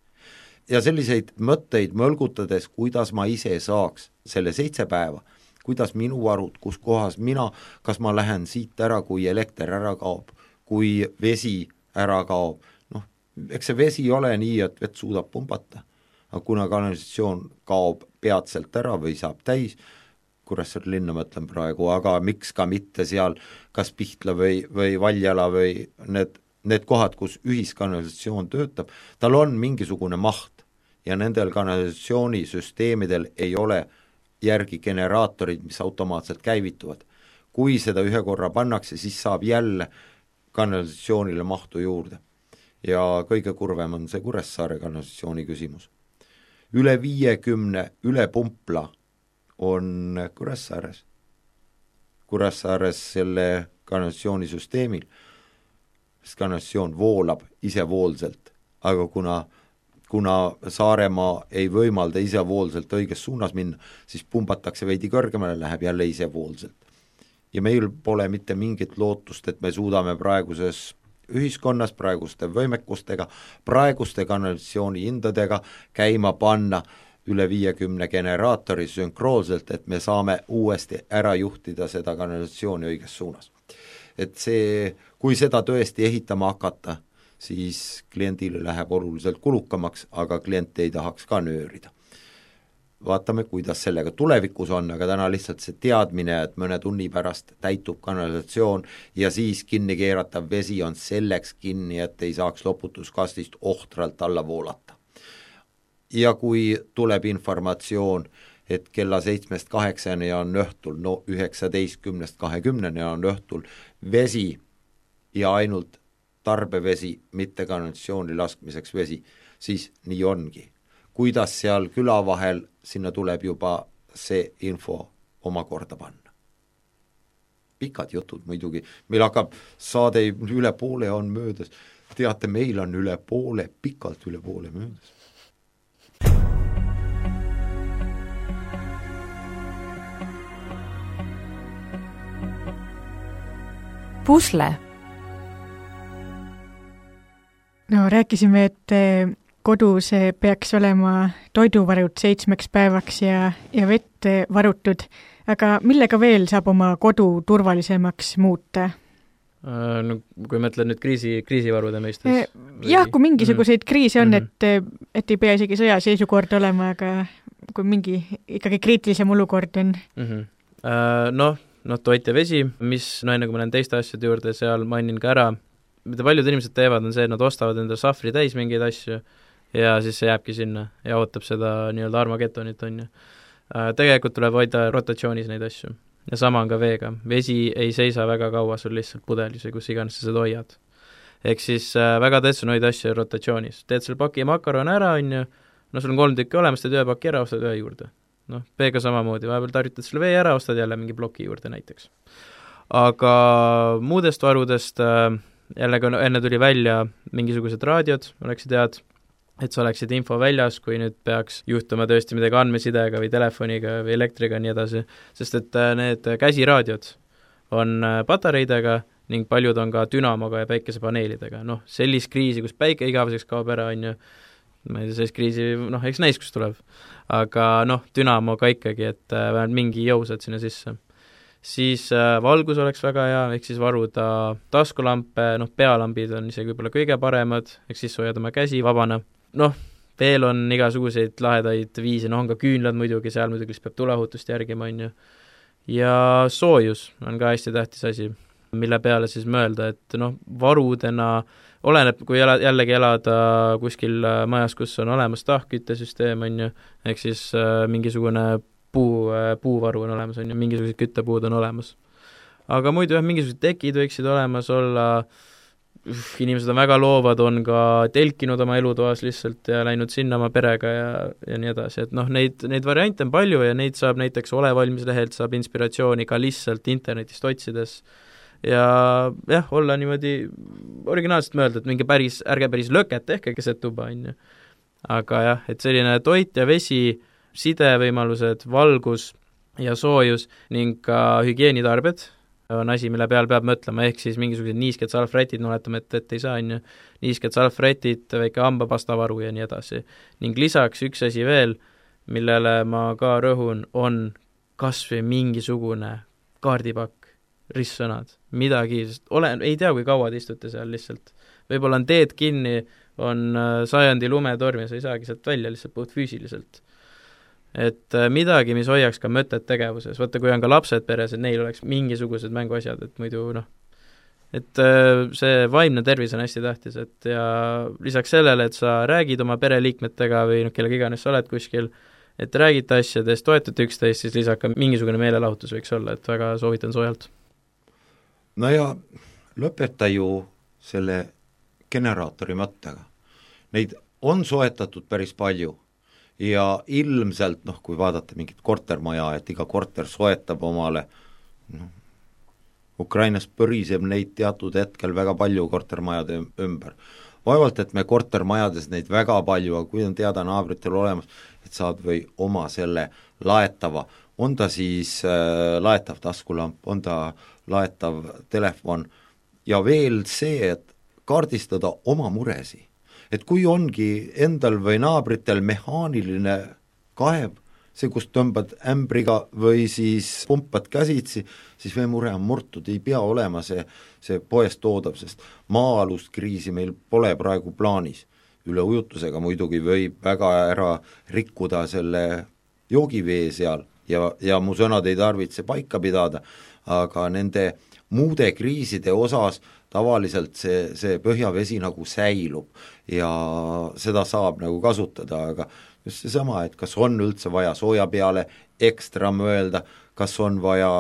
Ja selliseid mõtteid mõlgutades, kuidas ma ise saaks selle seitse päeva, kuidas minu varud, kus kohas mina, kas ma lähen siit ära, kui elekter ära kaob, kui vesi ära kaob. Noh, eks see vesi ole nii, et vett suudab pumbata, aga kuna kanalisatsioon kaob peatselt ära või saab täis, Kuressaare linna mõtlen praegu, aga miks ka mitte seal kas Pihtla või, või Valjala või need, need kohad, kus ühiskanalisatsioon töötab, tal on mingisugune maht ja nendel kanalisatsioonisüsteemidel ei ole järgi generaatorid, mis automaatselt käivituvad. Kui seda ühe korra pannakse, siis saab jälle kanalisatsioonile mahtu juurde. Ja kõige kurvem on see Kuressaare kanalisatsiooni küsimus. Üle viiekümne üle pumpla on Kuressaares. Kuressaares selle kanalisatsioonisüsteemil, sest kanalisatsioon voolab isevoolselt, aga kuna, kuna Saaremaa ei võimalda isevoolselt õiges suunas minna, siis pumbatakse veidi kõrgemale, läheb jälle isevoolselt. Ja meil pole mitte mingit lootust, et me suudame praeguses ühiskonnas, praeguste võimekustega, praeguste kanalisatsiooni hindadega käima panna üle viiekümne generaatori sünkroolselt, et me saame uuesti ära juhtida seda kanalisatsiooni õiges suunas. Et see, kui seda tõesti ehitama hakata, siis kliendile läheb oluliselt kulukamaks, aga klient ei tahaks ka nöörida. Vaatame, kuidas sellega tulevikus on, aga täna lihtsalt see teadmine, et mõne tunni pärast täitub kanalisatsioon ja siis kinni keeratav vesi on selleks kinni, et ei saaks loputuskastist ohtralt alla voolata. Ja kui tuleb informatsioon, et kella seitsmest kaheksani on õhtul, no üheksateistkümnest kahekümneni on õhtul vesi ja ainult tarbevesi, mitte kanalisatsiooni laskmiseks vesi, siis nii ongi. Kuidas seal küla vahel, sinna tuleb juba see info oma korda panna. Pikad jutud muidugi, meil hakkab saade üle poole on möödas, teate, meil on üle poole, pikalt üle poole möödas. Pusle. No rääkisime, et kodus peaks olema toiduvarud seitsmeks päevaks ja, ja vett varutud, aga millega veel saab oma kodu turvalisemaks muuta? No, kui mõtlen nüüd kriisi, kriisivarude mõistes? Jah, kui mingisuguseid kriise on, et, et ei pea isegi sõjaseisukord olema, aga kui mingi ikkagi kriitilisem olukord on. Mm-hmm. Uh, noh, noh, toit ja vesi, mis, no enne kui ma lähen teiste asjade juurde, seal mainin ka ära, mida paljud inimesed teevad, on see, et nad ostavad endale sahvri täis mingeid asju ja siis see jääbki sinna ja ootab seda nii-öelda Armageddonit, on ju. Uh, tegelikult tuleb hoida rotatsioonis neid asju. Ja sama on ka veega. Vesi ei seisa väga kaua sul lihtsalt pudelis või kus iganes sa seda hoiad. Ehk siis äh, väga tähtsad on hoida asju rotatsioonis. Teed selle paki makaron ära, on ju, no sul on kolm tükki olemas, teed ühe paki ära, ostad ühe juurde. Noh, veega samamoodi, vahepeal tarvitad selle vee ära, ostad jälle mingi ploki juurde näiteks. Aga muudest varudest äh, jällegi enne tuli välja mingisugused raadiod, oleksid head, et sa oleksid info väljas, kui nüüd peaks juhtuma tõesti midagi andmesidega või telefoniga või elektriga ja nii edasi, sest et need käsiraadiod on patareidega ning paljud on ka dünamoga ja päikesepaneelidega. Noh, sellist kriisi, kus päike igaveseks kaob ära, on ju, ma ei tea, sellist kriisi, noh, eks näis, kus tuleb. Aga noh, dünamoga ikkagi, et vähemalt mingi jõusad sinna sisse. Siis äh, valgus oleks väga hea, ehk siis varuda taskulampe, noh, pealambid on isegi võib-olla kõige paremad, ehk siis hoiad oma käsi vabana. Noh, veel on igasuguseid lahedaid viise, noh, on ka küünlad muidugi, seal muidugi peab tulehutust järgima, on ju. Ja soojus on ka hästi tähtis asi, mille peale siis mõelda, et noh, varudena oleneb, kui ela, jällegi elada kuskil majas, kus on olemas tahkküttesüsteem, on ju, ehk siis äh, mingisugune puu, puuvaru on olemas, on ju, mingisugused küttepuud on olemas. Aga muidu jah, mingisugused tekid võiksid olemas olla, inimesed on väga loovad, on ka telkinud oma elutoas lihtsalt ja läinud sinna oma perega ja, ja nii edasi, et noh, neid, neid variante on palju ja neid saab näiteks Ole valmis lehelt, saab inspiratsiooni ka lihtsalt internetist otsides ja jah, olla niimoodi originaalselt mõelda, et mingi päris, ärge päris löket tehke keset tuba, on ju. Aga jah, et selline toit ja vesi, sidevõimalused, valgus ja soojus ning ka hügieenitarbed on asi, mille peal peab mõtlema, ehk siis mingisugused niisked salvrätid, no oletame, et, et ei saa, on ju, niisked salvrätid, väike hambapastavaru ja nii edasi. Ning lisaks üks asi veel, millele ma ka rõhun, on kas või mingisugune kaardipakk, ristsõnad, midagi, sest olen, ei tea, kui kaua te istute seal lihtsalt. Võib-olla on teed kinni, on sajandi lumetorm ja sa ei saagi sealt välja lihtsalt puht füüsiliselt. Et midagi, mis hoiaks ka mõtet tegevuses, võtta, kui on ka lapsed peres, et neil oleks mingisugused mänguasjad, et muidu noh, et see vaimne tervis on hästi tähtis, et ja lisaks sellele, et sa räägid oma pereliikmetega või noh, kellega iganes sa oled kuskil, et räägite asjadest, toetate üksteist, siis lisaks ka mingisugune meelelahutus võiks olla, et väga soovitan soojalt. No ja lõpeta ju selle generaatori mõttega. Neid on soetatud päris palju ja ilmselt, noh, kui vaadata mingit kortermaja, et iga korter soetab omale, noh, Ukrainas põriseb neid teatud hetkel väga palju kortermajade ümber. Vaevalt, et me kortermajades neid väga palju, aga kui on teada naabritel olemas, et saad või oma selle laetava, on ta siis äh, laetav taskulamp, on ta laetav telefon ja veel see, et kaardistada oma muresi. Et kui ongi endal või naabritel mehaaniline kaev, see, kus tõmbad ämbriga või siis pumpad käsitsi, siis või mure on murtud, ei pea olema see, see poest toodav, sest maa-alust kriisi meil pole praegu plaanis. Üle ujutusega muidugi võib väga ära rikkuda selle joogivee seal ja, ja mu sõnad ei tarvitse paika pidada, aga nende muude kriiside osas tavaliselt see, see põhjavesi nagu säilub ja seda saab nagu kasutada, aga just seesama, et kas on üldse vaja sooja peale ekstra mõelda, kas on vaja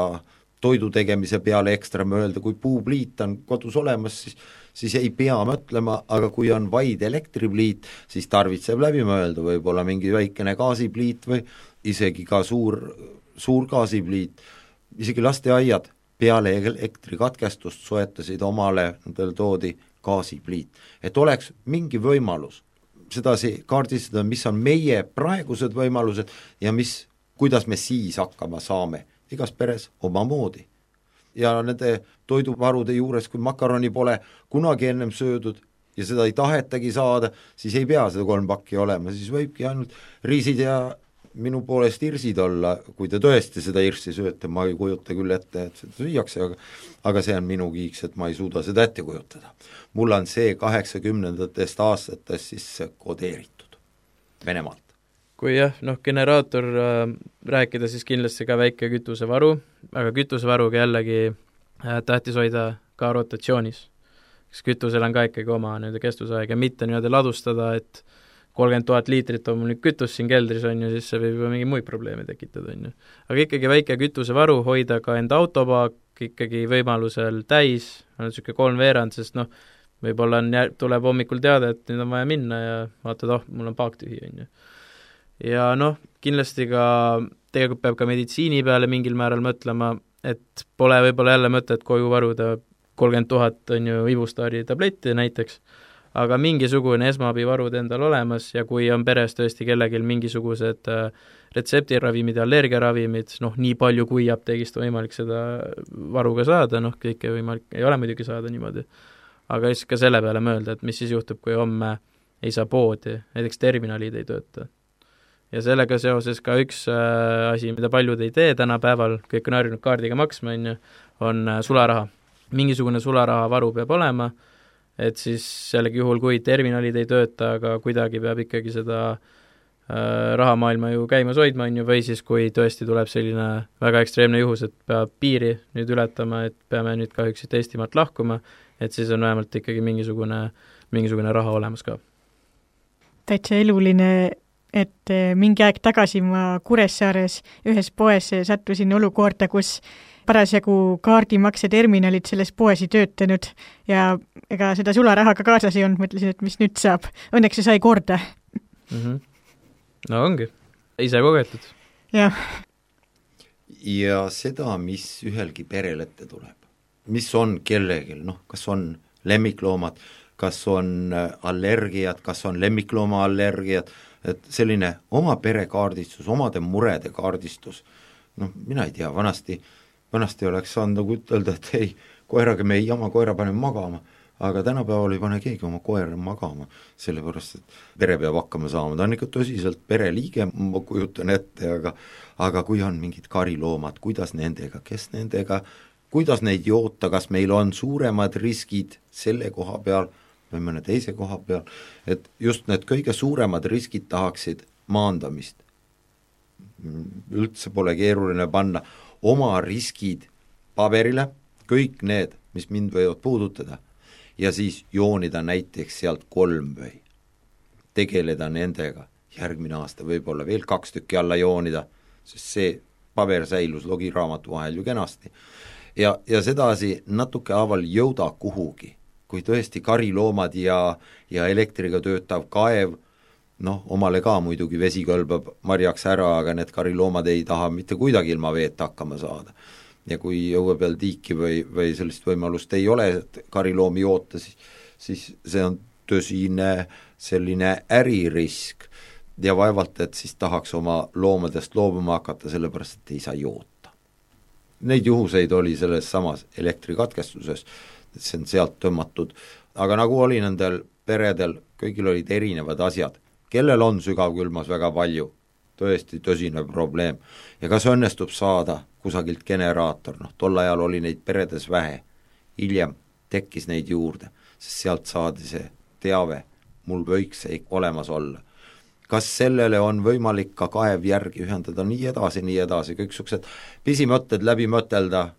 toidu tegemise peale ekstra mõelda, kui puupliit on kodus olemas, siis, siis ei pea mõtlema, aga kui on vaid elektripliit, siis tarvitseb läbi mõelda, võib-olla mingi väikene gaasipliit või isegi ka suur, suur gaasipliit, isegi lasteaiad peale elektrikatkestust soetasid omale, nendele toodi gaasipliit. Et oleks mingi võimalus sedasi kaardistada, mis on meie praegused võimalused ja mis, kuidas me siis hakkama saame, igas peres oma moodi. Ja nende toiduvarude juures, kui makaroni pole kunagi ennem söödud ja seda ei tahetagi saada, siis ei pea seda kolm pakki olema, siis võibki ainult riisid ja minu poolest irsid olla, kui te tõesti seda irsi sööte, ma ei kujuta küll ette, et seda süüakse, aga, aga see on minu kiiks, et ma ei suuda seda ette kujutada. Mul on see kaheksakümnendatest aastatest siis kodeeritud Venemaalt. Kui jah, noh, generaator äh, rääkida, siis kindlasti ka väike kütusevaru, aga kütusevaruga jällegi äh, tähtis hoida ka rotatsioonis. Kas kütusel on ka ikkagi oma nii-öelda kestusaeg ja mitte nii-öelda ladustada, et kolmkümmend tuhat liitrit on mul nüüd kütus siin keldris, on ju, siis see võib mingi muid probleeme tekitada, on ju. Aga ikkagi väike kütusevaru, hoida ka enda autopaak ikkagi võimalusel täis, on niisugune kolm veerand, sest noh, võib-olla on, tuleb hommikul teada, et nüüd on vaja minna ja vaatad, oh, mul on paak tühi, on ju. Ja noh, kindlasti ka, tegelikult peab ka meditsiini peale mingil määral mõtlema, et pole võib-olla jälle mõtet koju varuda kolmkümmend tuhat on ju Ibustaari tabletti näiteks, aga mingisugune esmaabivarud endal olemas ja kui on peres tõesti kellegil mingisugused retseptiravimid ja allergiaravimid, noh nii palju kui apteegist on võimalik seda varuga saada, noh kõike võimalik, ei ole muidugi saada niimoodi, aga just ka selle peale mõelda, et mis siis juhtub, kui homme ei saa poodi, näiteks terminalid ei tööta. Ja sellega seoses ka üks äh, asi, mida paljud ei tee tänapäeval, kõik on harjunud kaardiga maksma, on, on äh, sularaha. Mingisugune sularaha varu peab olema, et siis jällegi juhul, kui terminalid ei tööta, aga kuidagi peab ikkagi seda äh, rahamaailma ju käimas hoidma, on ju, või siis kui tõesti tuleb selline väga ekstreemne juhus, et peab piiri nüüd ületama, et peame nüüd kahjuks Eestimaalt lahkuma, et siis on vähemalt ikkagi mingisugune, mingisugune raha olemas ka. Täitsa eluline et mingi aeg tagasi ma Kuressaares ühes poes sattusin olukorda, kus parasjagu kaardimakseterminalid selles poes ei töötanud ja ega seda sularahaga kaasas ei olnud, mõtlesin, et mis nüüd saab. Õnneks see sai korda. Mm-hmm. No ongi, ise kogetud. Jah. Ja seda, mis ühelgi perel ette tuleb, mis on kellegil, noh, kas on lemmikloomad, kas on allergiad, kas on lemmiklooma allergiad, et selline oma pere kaardistus, omade murede kaardistus, noh, mina ei tea, vanasti vanasti oleks saanud nagu ütelda, et ei, koeraga me ei jama, koera paneme magama, aga tänapäeval ei pane keegi oma koera magama, sellepärast, et pere peab hakkama saama, ta on ikka tõsiselt pereliige, ma kujutan ette, aga aga kui on mingid kariloomad, kuidas nendega, kes nendega, kuidas neid joota, kas meil on suuremad riskid selle koha peal või mõne teise koha peal, et just need kõige suuremad riskid tahaksid maandamist. Üldse pole keeruline panna oma riskid paberile, kõik need, mis mind võivad puudutada, ja siis joonida näiteks sealt kolm või tegeleda nendega, järgmine aasta võib-olla veel kaks tükki alla joonida, sest see paber säilus logiraamatu vahel ju kenasti. Ja, ja sedasi natuke haaval jõuda kuhugi, kui tõesti kariloomad ja, ja elektriga töötav kaev, noh, omale ka muidugi vesi kõlbab marjaks ära, aga need kariloomad ei taha mitte kuidagi ilma veeta hakkama saada. Ja kui õue peal tiiki või, või sellist võimalust ei ole, et kariloomi joota, siis, siis see on tõsine selline äririsk ja vaevalt, et siis tahaks oma loomadest loobuma hakata, sellepärast, et ei saa joota. Neid juhuseid oli selles samas elektrikatkestuses, et see on sealt tõmmatud, aga nagu oli nendel peredel, kõigil olid erinevad asjad, kellel on sügavkülmas väga palju, tõesti tõsine probleem, ja kas õnnestub saada kusagilt generaator, noh, tol ajal oli neid peredes vähe, hiljem tekkis neid juurde, sest sealt saadi see teave, mul võiks see olemas olla. Kas sellele on võimalik ka kaev järgi ühendada, nii edasi, nii edasi, kõik suksed pisimõtted läbi mõtelda,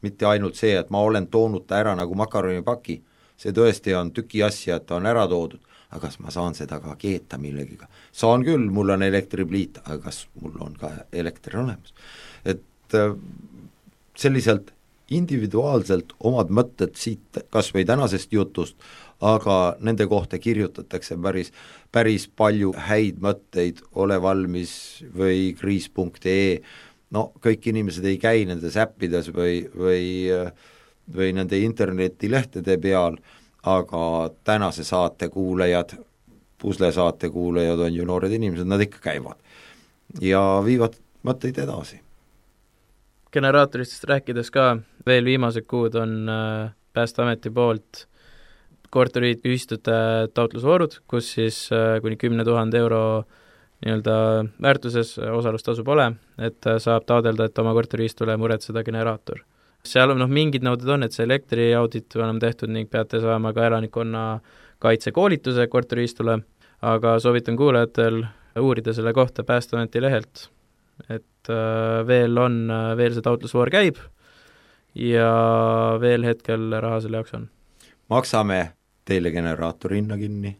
mitte ainult see, et ma olen toonud ta ära nagu makaronipaki, see tõesti on tüki asja, et ta on ära toodud, aga kas ma saan seda ka keeta millegiga? Saan küll, mul on elektripliit, aga kas mul on ka elekter olemas? Et selliselt individuaalselt omad mõtted siit kas või tänasest jutust, aga nende kohta kirjutatakse päris, päris palju häid mõtteid, ole valmis või kriis punkt ee, no kõik inimesed ei käi nendes äppides või, või, või nende internetilehtede peal, aga tänase saate kuulajad, puslesaate kuulajad on ju noored inimesed, nad ikka käivad ja viivad mõtteid edasi. Generaatoristest rääkides ka, veel viimased kuud on Päästeameti poolt korteriühistute taotlusvoorud, kus siis kuni kümne tuhande euro nii-öelda väärtuses osalustasu pole, et saab taodelda, et oma korteriühistule muretseda generaator. Seal on noh, mingid nõuded on, et see elektriaudit on tehtud ning peate saama ka elanikkonna kaitsekoolituse korteriühistule, aga soovitan kuulajatel uurida selle kohta Päästeameti lehelt, et veel on, veel see taotlusvoor käib ja veel hetkel raha selle jaoks on. Maksame teile generaatori hinna kinni.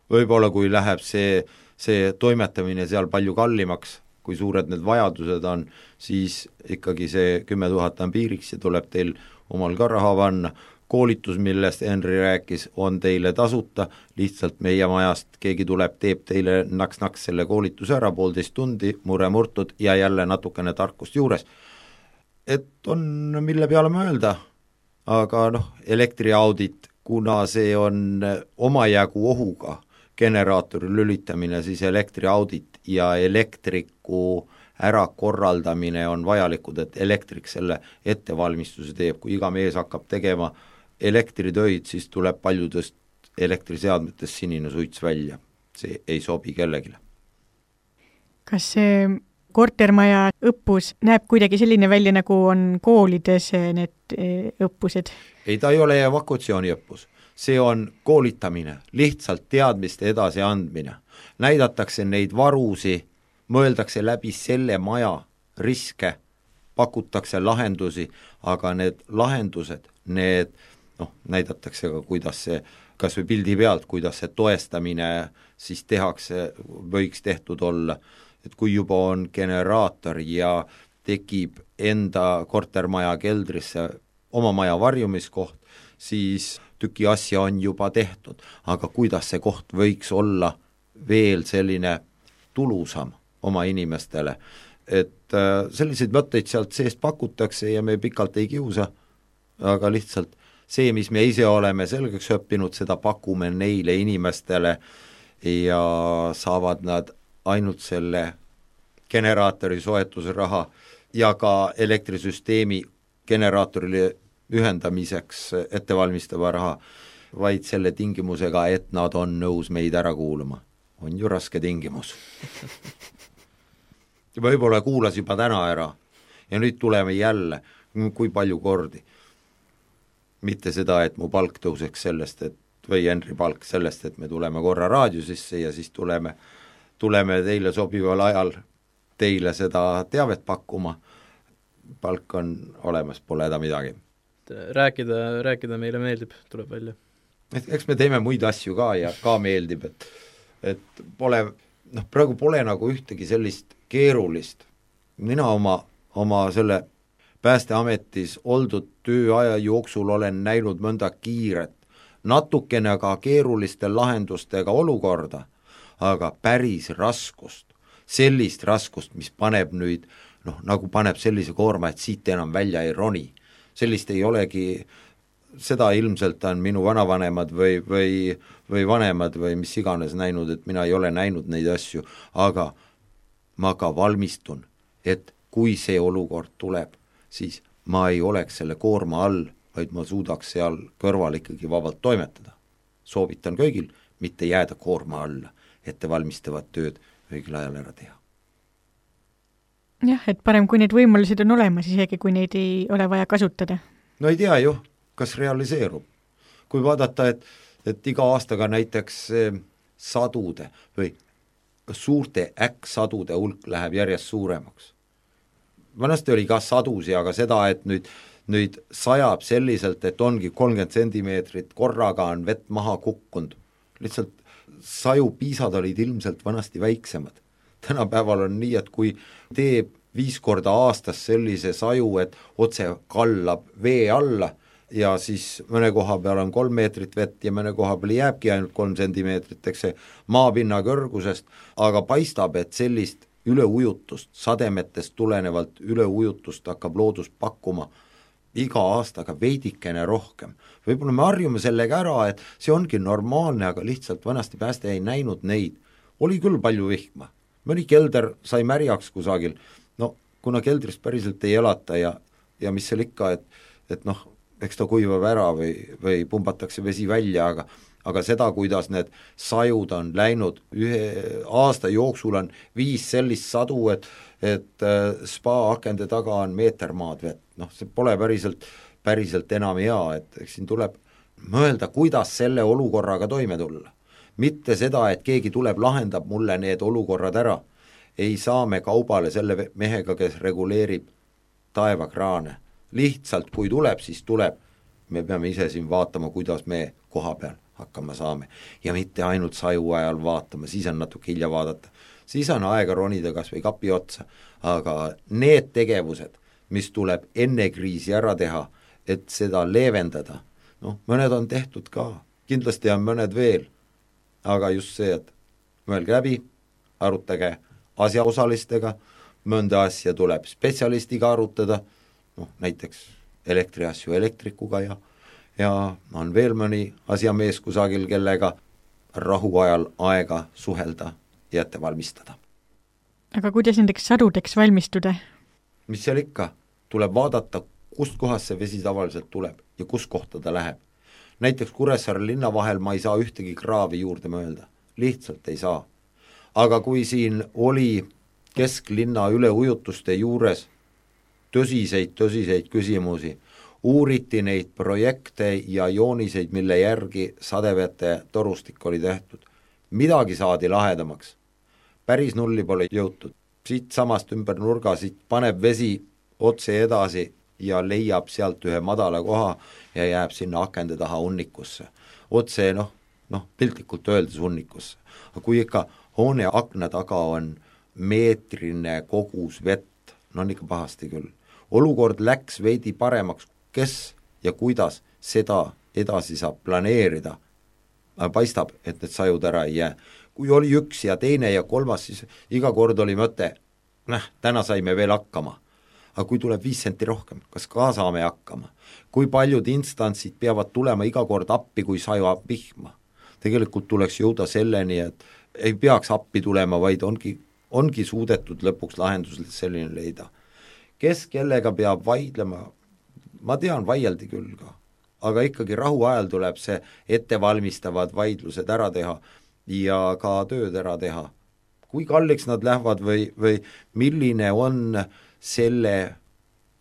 Võib-olla kui läheb see, see toimetamine seal palju kallimaks, kui suured need vajadused on, siis ikkagi see kümme tuhat on piiriks ja tuleb teil omal ka raha vanna. Koolitus, millest Henri rääkis, on teile tasuta, lihtsalt meie majast keegi tuleb, teeb teile naks-naks selle koolituse ära, poolteist tundi, mure murtud ja jälle natukene tarkust juures. Et on mille peale mõelda, aga noh, elektriaudit, kuna see on omajagu ohuga generaatori lülitamine, siis elektriaudit ja elektriku ärakorraldamine on vajalikud, et elektrik selle ettevalmistuse teeb, kui iga mees hakkab tegema elektritöid, siis tuleb paljudest elektriseadmetest sinine suits välja. See ei sobi kellegile. Kas see kortermaja õppus näeb kuidagi selline välja, nagu on koolides need õppused? Ei, ta ei ole evakuatsiooni õppus. See on koolitamine, lihtsalt teadmiste edasi andmine. Näidatakse neid varusi, mõeldakse läbi selle maja riske, pakutakse lahendusi, aga need lahendused, need noh, näidatakse ka, kuidas see, kas või pildi pealt, kuidas see toestamine siis tehakse, võiks tehtud olla, et kui juba on generaator ja tekib enda kortermaja keldrisse oma maja varjumiskoht, siis tüki asja on juba tehtud, aga kuidas see koht võiks olla veel selline tulusam oma inimestele, et selliseid mõtteid sealt seest pakutakse ja me pikalt ei kiusa, aga lihtsalt see, mis me ise oleme selgeks õppinud, seda pakume neile inimestele ja saavad nad ainult selle generaatori soetusraha ja ka elektrisüsteemi generaatorile ühendamiseks ettevalmistava raha, vaid selle tingimusega, et nad on nõus meid ära kuulama. On ju raske tingimus. Võib-olla kuulas juba täna ära ja nüüd tuleme jälle, kui palju kordi. Mitte seda, et mu palk tõuseks sellest, et, või Henri palk sellest, et me tuleme korra raadiosisse ja siis tuleme, tuleme teile sobival ajal teile seda teavet pakkuma. Palk on olemas, pole häda midagi. Rääkida, rääkida meile meeldib, tuleb välja. Et eks me teeme muid asju ka ja ka meeldib, et, et pole, noh, praegu pole nagu ühtegi sellist keerulist. Mina oma, oma selle Päästeametis oldud tööaja jooksul olen näinud mõnda kiiret, natukene aga keeruliste lahendustega olukorda, aga päris raskust, sellist raskust, mis paneb nüüd, noh, nagu paneb sellise koorma, et siit enam välja ei roni. Sellist ei olegi, seda ilmselt on minu vanavanemad või, või, või vanemad või mis iganes näinud, et mina ei ole näinud neid asju, aga ma ka valmistun, et kui see olukord tuleb, siis ma ei oleks selle koorma all, vaid ma suudaks seal kõrval ikkagi vabalt toimetada. Soovitan kõigil mitte jääda koorma alla, ettevalmistavat tööd õigel ajal ära teha. Jah, et parem, kui need võimalused on olemas, isegi kui neid ei ole vaja kasutada. No ei tea ju, kas realiseerub. Kui vaadata, et, et iga aastaga näiteks sadude või suurte äkksadude hulk läheb järjest suuremaks. Vanasti oli ka sadusi, aga seda, et nüüd, nüüd sajab selliselt, et ongi kolmkümmend sentimeetrit, korraga on vett maha kukkunud. Lihtsalt saju piisad olid ilmselt vanasti väiksemad. Tänapäeval on nii, et kui teeb viis korda aastas sellise saju, et otse kallab vee alla ja siis mõne koha peal on kolm meetrit vett ja mõne koha peal jääbki ainult kolm sentimeetrit, eks see maapinna kõrgusest, aga paistab, et sellist üleujutust, sademetest tulenevalt üleujutust hakkab loodus pakkuma iga aastaga veidikene rohkem. Võib-olla me harjume sellega ära, et see ongi normaalne, aga lihtsalt vanasti pääste ei näinud neid. Oli küll palju vihma. Mõni kelder sai märjaks kusagil. No, kuna keldrist päriselt ei elata ja, ja mis seal ikka, et, et noh, eks ta kuivab ära või, või pumbatakse vesi välja, aga aga seda, kuidas need sajud on läinud, ühe aasta jooksul on viis sellist sadu, et, et spa akende taga on meeter maad vett. Noh, see pole päriselt, päriselt enam hea, et eks siin tuleb mõelda, kuidas selle olukorraga toime tulla. Mitte seda, et keegi tuleb, lahendab mulle need olukorrad ära. Ei saa me kaubale selle mehega, kes reguleerib taevakraane. Lihtsalt, kui tuleb, siis tuleb. Me peame ise siin vaatama, kuidas me koha peal hakkama saame. Ja mitte ainult saju ajal vaatama, siis on natuke hilja vaadata. Siis on aega ronida kas või kapi otsa. Aga need tegevused, mis tuleb enne kriisi ära teha, et seda leevendada, noh, mõned on tehtud ka, kindlasti on mõned veel, aga just see, et mõelge läbi, arutage asjaosalistega, mõnda asja tuleb spetsialistiga arutada, noh, näiteks elektriasju elektrikuga ja ja on veel mõni asjamees kusagil, kellega rahuajal aega suhelda ja ette valmistada. Aga kuidas nendeks sadudeks valmistuda? Mis seal ikka? Tuleb vaadata, kust kohast see vesi tavaliselt tuleb ja kus kohta ta läheb. Näiteks Kuressaare linna vahel ma ei saa ühtegi kraavi juurde mõelda. Lihtsalt ei saa. Aga kui siin oli kesklinna üleujutuste juures tõsiseid, tõsiseid küsimusi, uuriti neid projekte ja jooniseid, mille järgi sadevete torustik oli tehtud. Midagi saadi lahedamaks. Päris nulli pole jõutud. Siit samast ümber nurga, siit paneb vesi otse edasi ja leiab sealt ühe madala koha ja jääb sinna akende taha unnikusse. Otse, noh, noh, piltlikult öeldes hunnikusse. Aga kui ikka hoone akna taga on meetrine kogus vett, no on ikka pahasti küll. Olukord läks veidi paremaks, kes ja kuidas seda edasi saab planeerida, paistab, et need sajud ära ei jää. Kui oli üks ja teine ja kolmas, siis iga kord oli mõte, näh, täna saime veel hakkama. Aga kui tuleb viis senti rohkem, kas ka saame hakkama? Kui paljud instantsid peavad tulema iga kord appi, kui sajab vihma? Tegelikult tuleks jõuda selleni, et ei peaks appi tulema, vaid ongi, ongi suudetud lõpuks lahendus selline leida. Kes kellega peab vaidlema? Ma tean, vaieldi küll ka. Aga ikkagi rahu ajal tuleb see ettevalmistavad vaidlused ära teha ja ka tööd ära teha. Kui kalliks nad lähevad või, või milline on selle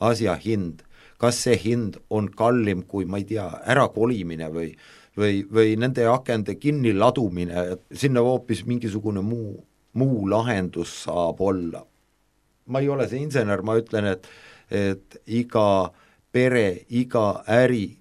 asja hind? Kas see hind on kallim kui, ma ei tea, ära kolimine või, või, või nende akende kinni ladumine, sinna hoopis mingisugune muu, muu lahendus saab olla. Ma ei ole see insener, ma ütlen, et, et iga pere, iga äri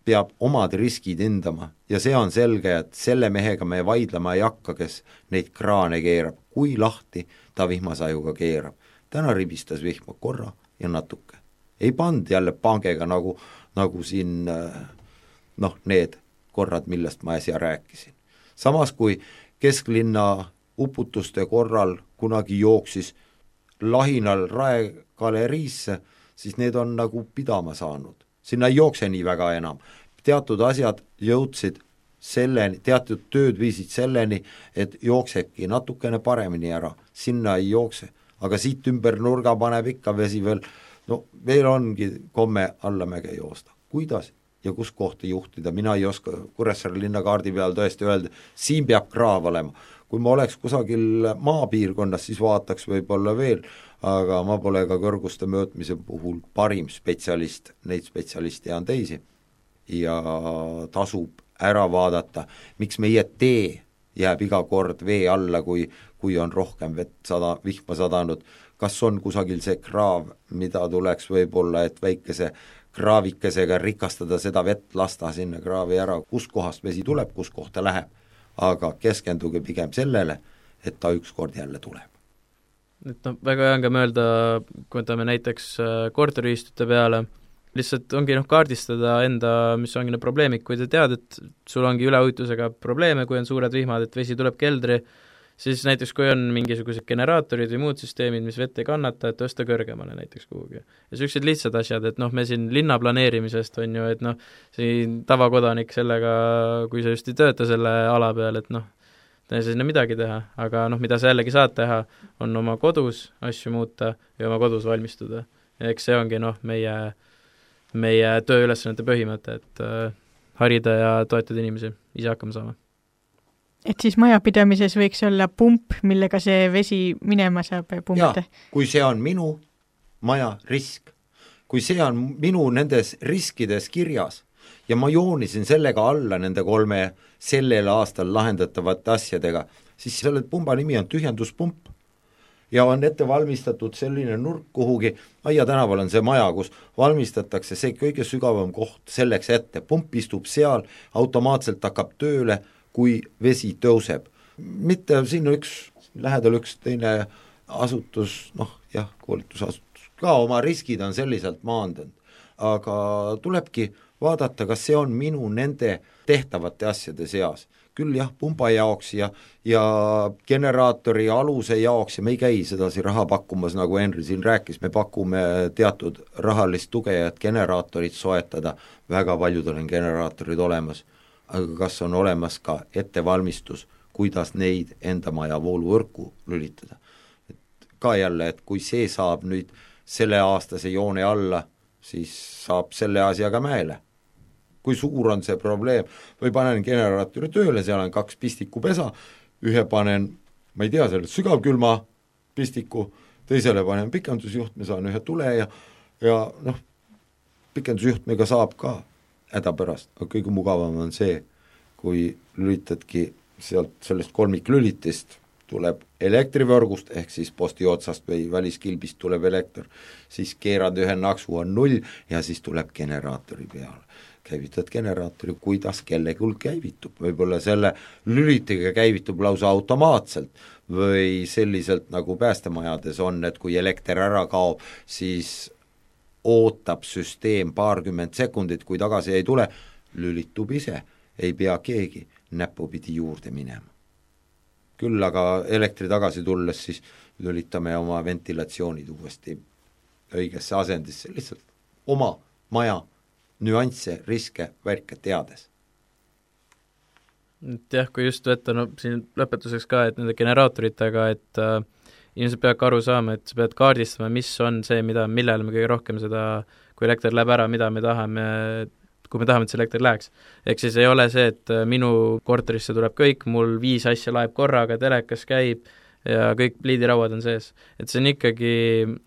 peab omad riskid hindama ja see on selge, et selle mehega me vaidlema ei hakka, kes neid kraane keerab, kui lahti ta vihmasajuga keerab. Täna ribistas vihma korra ja natuke. Ei pand jälle pangega nagu, nagu siin noh, need korrad, millest ma äsja rääkisin. Samas kui kesklinna uputuste korral kunagi jooksis lahinal raegaleriisse, siis need on nagu pidama saanud. Sinna ei jookse nii väga enam. Teatud asjad jõudsid selleni, teatud tööd viisid selleni, et jooksebki natukene paremini ära. Sinna ei jookse, aga siit ümber nurga paneb ikka vesi veel, no veel ongi komme allamäge joosta. Kuidas ja kus kohta juhtida, mina ei oska Kuressaare linnakaardi peal tõesti öelda, siin peab kraav olema. Kui ma oleks kusagil maapiirkonnas, siis vaataks võib-olla veel, aga ma pole ka kõrguste möötmise puhul parim spetsialist, neid spetsialiste on teisi ja tasub ära vaadata, miks meie tee jääb iga kord vee alla, kui, kui on rohkem vett sada, vihma sadanud, kas on kusagil see kraav, mida tuleks võib-olla, et väikese kraavikesega rikastada seda vett, lasta sinna kraavi ära, kus kohast vesi tuleb, kus kohta läheb, aga keskenduge pigem sellele, et ta ükskord jälle tuleb. Et no, väga hea on ka mõelda, kui võtame näiteks korteriühistute peale, lihtsalt ongi noh, kaardistada enda, mis ongi need probleemid, kui te tead, et sul ongi üleujutusega probleeme, kui on suured vihmad, et vesi tuleb keldri, siis näiteks kui on mingisugused generaatorid või muud süsteemid, mis vett ei kannata, et tõsta kõrgemale näiteks kuhugi. Ja sellised lihtsad asjad, et noh, me siin linna planeerimisest on ju, et noh, siin tavakodanik sellega, kui sa just ei tööta selle ala peal, et noh, ei saa sinna midagi teha, aga noh, mida sa jällegi saad teha, on oma kodus asju muuta ja oma kodus valmistuda. Ja eks see ongi noh, meie, meie tööülesannete põhimõte, et äh, harida ja toetada inimesi, ise hakkama saama. Et siis majapidamises võiks olla pump, millega see vesi minema saab pumpida? Jaa, kui see on minu maja risk, kui see on minu nendes riskides kirjas ja ma joonisin sellega alla nende kolme sellel aastal lahendatavate asjadega, siis selle pumba nimi on tühjenduspump ja on ette valmistatud selline nurk kuhugi, Aia tänaval on see maja, kus valmistatakse see kõige sügavam koht selleks ette, pump istub seal, automaatselt hakkab tööle, kui vesi tõuseb. Mitte siin üks, lähedal üks teine asutus, noh jah, koolitusasutus, ka oma riskid on selliselt maandanud, aga tulebki vaadata, kas see on minu nende tehtavate asjade seas. Küll jah, pumba jaoks ja, ja generaatori aluse jaoks ja me ei käi sedasi raha pakkumas, nagu Henri siin rääkis, me pakume teatud rahalist tuge, et generaatorid soetada, väga paljud on generaatorid olemas, aga kas on olemas ka ettevalmistus, kuidas neid enda maja vooluvõrku lülitada. Et ka jälle, et kui see saab nüüd selle aastase joone alla, siis saab selle asjaga mäele. Kui suur on see probleem, või panen generaatori tööle, seal on kaks pistikupesa, ühe panen, ma ei tea, selle sügavkülma pistiku, teisele panen pikendusjuhtme, saan ühe tule ja, ja noh, pikendusjuhtmega saab ka häda pärast, aga kõige mugavam on see, kui lülitadki sealt sellest kolmiklülitist, tuleb elektrivõrgust, ehk siis posti otsast või väliskilbist tuleb elekter, siis keerad ühe naksu, on null ja siis tuleb generaatori peale. käivitad generaatori, kuidas kellelgi käivitub, võib-olla selle lülitiga käivitub lausa automaatselt või selliselt nagu päästemajades on, et kui elekter ära kaob, siis ootab süsteem paarkümmend sekundit, kui tagasi ei tule, lülitub ise, ei pea keegi näpupidi juurde minema. Küll aga elektri tagasi tulles siis lülitame oma ventilatsioonid uuesti õigesse asendisse, lihtsalt oma maja nüansse, riske, värke teades. Et jah, kui just võtta, no siin lõpetuseks ka, et nende generaatoritega, et äh, inimesed peavad ka aru saama, et sa pead kaardistama, mis on see, mida, millele me kõige rohkem seda, kui elekter läheb ära, mida me tahame, kui me tahame, et see elekter läheks. Ehk siis ei ole see, et minu korterisse tuleb kõik, mul viis asja laeb korraga, telekas käib ja kõik pliidirauad on sees. Et see on ikkagi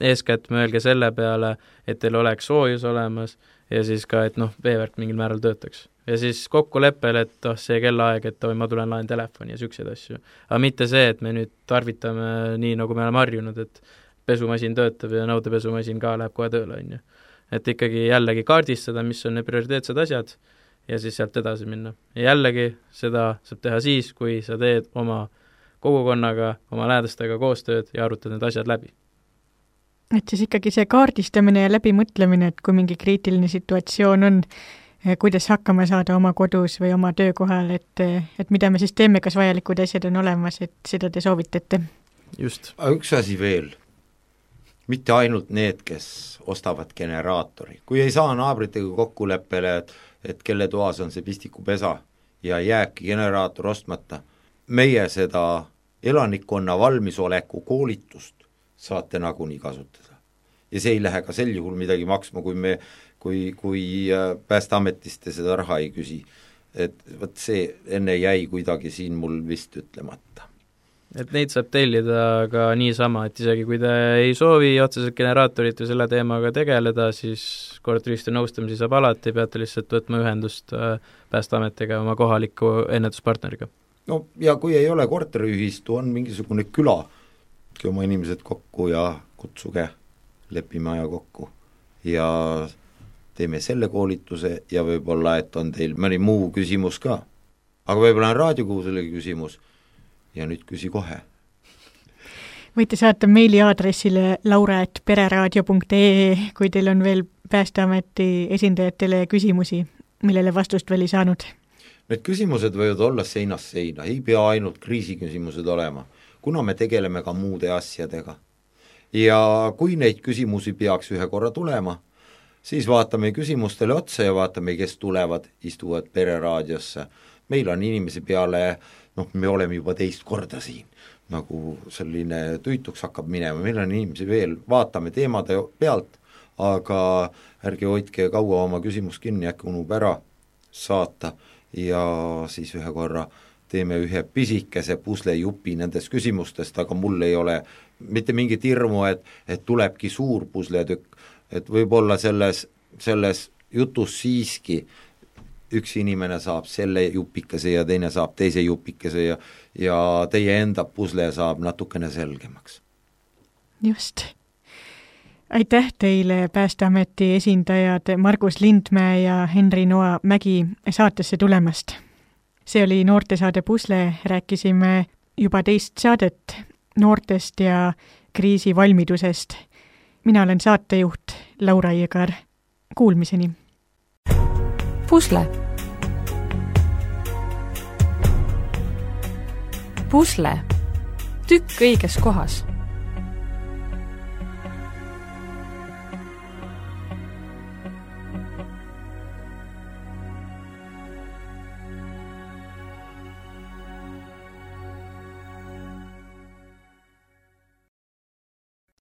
eeskätt mõelge selle peale, et teil oleks soojus olemas ja siis ka, et noh, veevärk mingil määral töötaks. Ja siis kokkuleppel, et oh, see kellaaeg, et oh, ma tulen laen telefoni ja sükseid asju. Aga mitte see, et me nüüd tarvitame nii, nagu me oleme harjunud, et pesumasin töötab ja nõudepesumasin ka läheb kohe tööle, on ju. Et ikkagi jällegi kaardistada, mis on need prioriteetsed asjad ja siis sealt edasi minna. Ja jällegi seda saab teha siis, kui sa teed oma kogukonnaga, oma lähedastega koostööd ja arutad need asjad läbi. Et siis ikkagi see kaardistamine ja läbimõtlemine, et kui mingi kriitiline situatsioon on, kuidas hakkama saada oma kodus või oma töökohal, et, et mida me siis teeme, kas vajalikud asjad on olemas, et seda te soovitate. Just. Üks asi veel, mitte ainult need, kes ostavad generaatori. Kui ei saa naabritega kokkuleppele, et, et kelle toas on see pistikupesa ja jääbki generaator ostmata, meie seda elanikkonna valmisoleku koolitust saate nagunii kasutada. Ja see ei lähe ka sel juhul midagi maksma, kui me kui, kui Päästeametist seda raha ei küsi. Et võt see enne jäi kuidagi siin mul vist ütlemata. Et neid saab tellida ka niisama, et isegi kui te ei soovi otseselt generaatorit või selle teemaga tegeleda, siis korteriühistu nõustamisi saab alati, peate lihtsalt võtma ühendust Päästeametiga oma kohaliku ennetuspartneriga. No ja kui ei ole korteriühistu, on mingisugune küla, oma inimesed kokku ja kutsuge, lepime aja kokku ja teeme selle koolituse ja võib-olla, et on teil mõni muu küsimus ka. Aga võib-olla on raadiokuusele küsimus ja nüüd küsi kohe. Võite saata meili aadressile laura et pereraadio punkt ee, kui teil on veel Päästeameti esindajatele küsimusi, millele vastust veel ei saanud. Need küsimused võivad olla seinast seina, ei pea ainult kriisiküsimused olema, kuna me tegeleme ka muude asjadega. Ja kui neid küsimusi peaks ühe korra tulema, siis vaatame küsimustele otsa ja vaatame, kes tulevad, istuvad pereraadiosse. Meil on inimesi peale, noh, me oleme juba teist korda siin, nagu selline tüütuks hakkab minema, meil on inimesi veel, vaatame teemade pealt, aga ärge hoidke kaua oma küsimus kinni, äkki unub ära saata ja siis ühe korra teeme ühe pisikese puslejupi nendest küsimustest, aga mul ei ole mitte mingit hirmu, et, et tulebki suur pusletükk, et võib-olla selles, selles jutus siiski üks inimene saab selle jupikese ja teine saab teise jupikese ja, ja teie enda pusle saab natukene selgemaks. Just. Aitäh teile Päästeameti esindajad Margus Lindmäe ja Henri Noa Mägi saatesse tulemast. See oli noortesaade Pusle, rääkisime juba teist saadet noortest ja kriisivalmidusest. Mina olen saatejuht Laura Jõgar. Kuulmiseni. Pusle. Pusle. Tükk õiges kohas.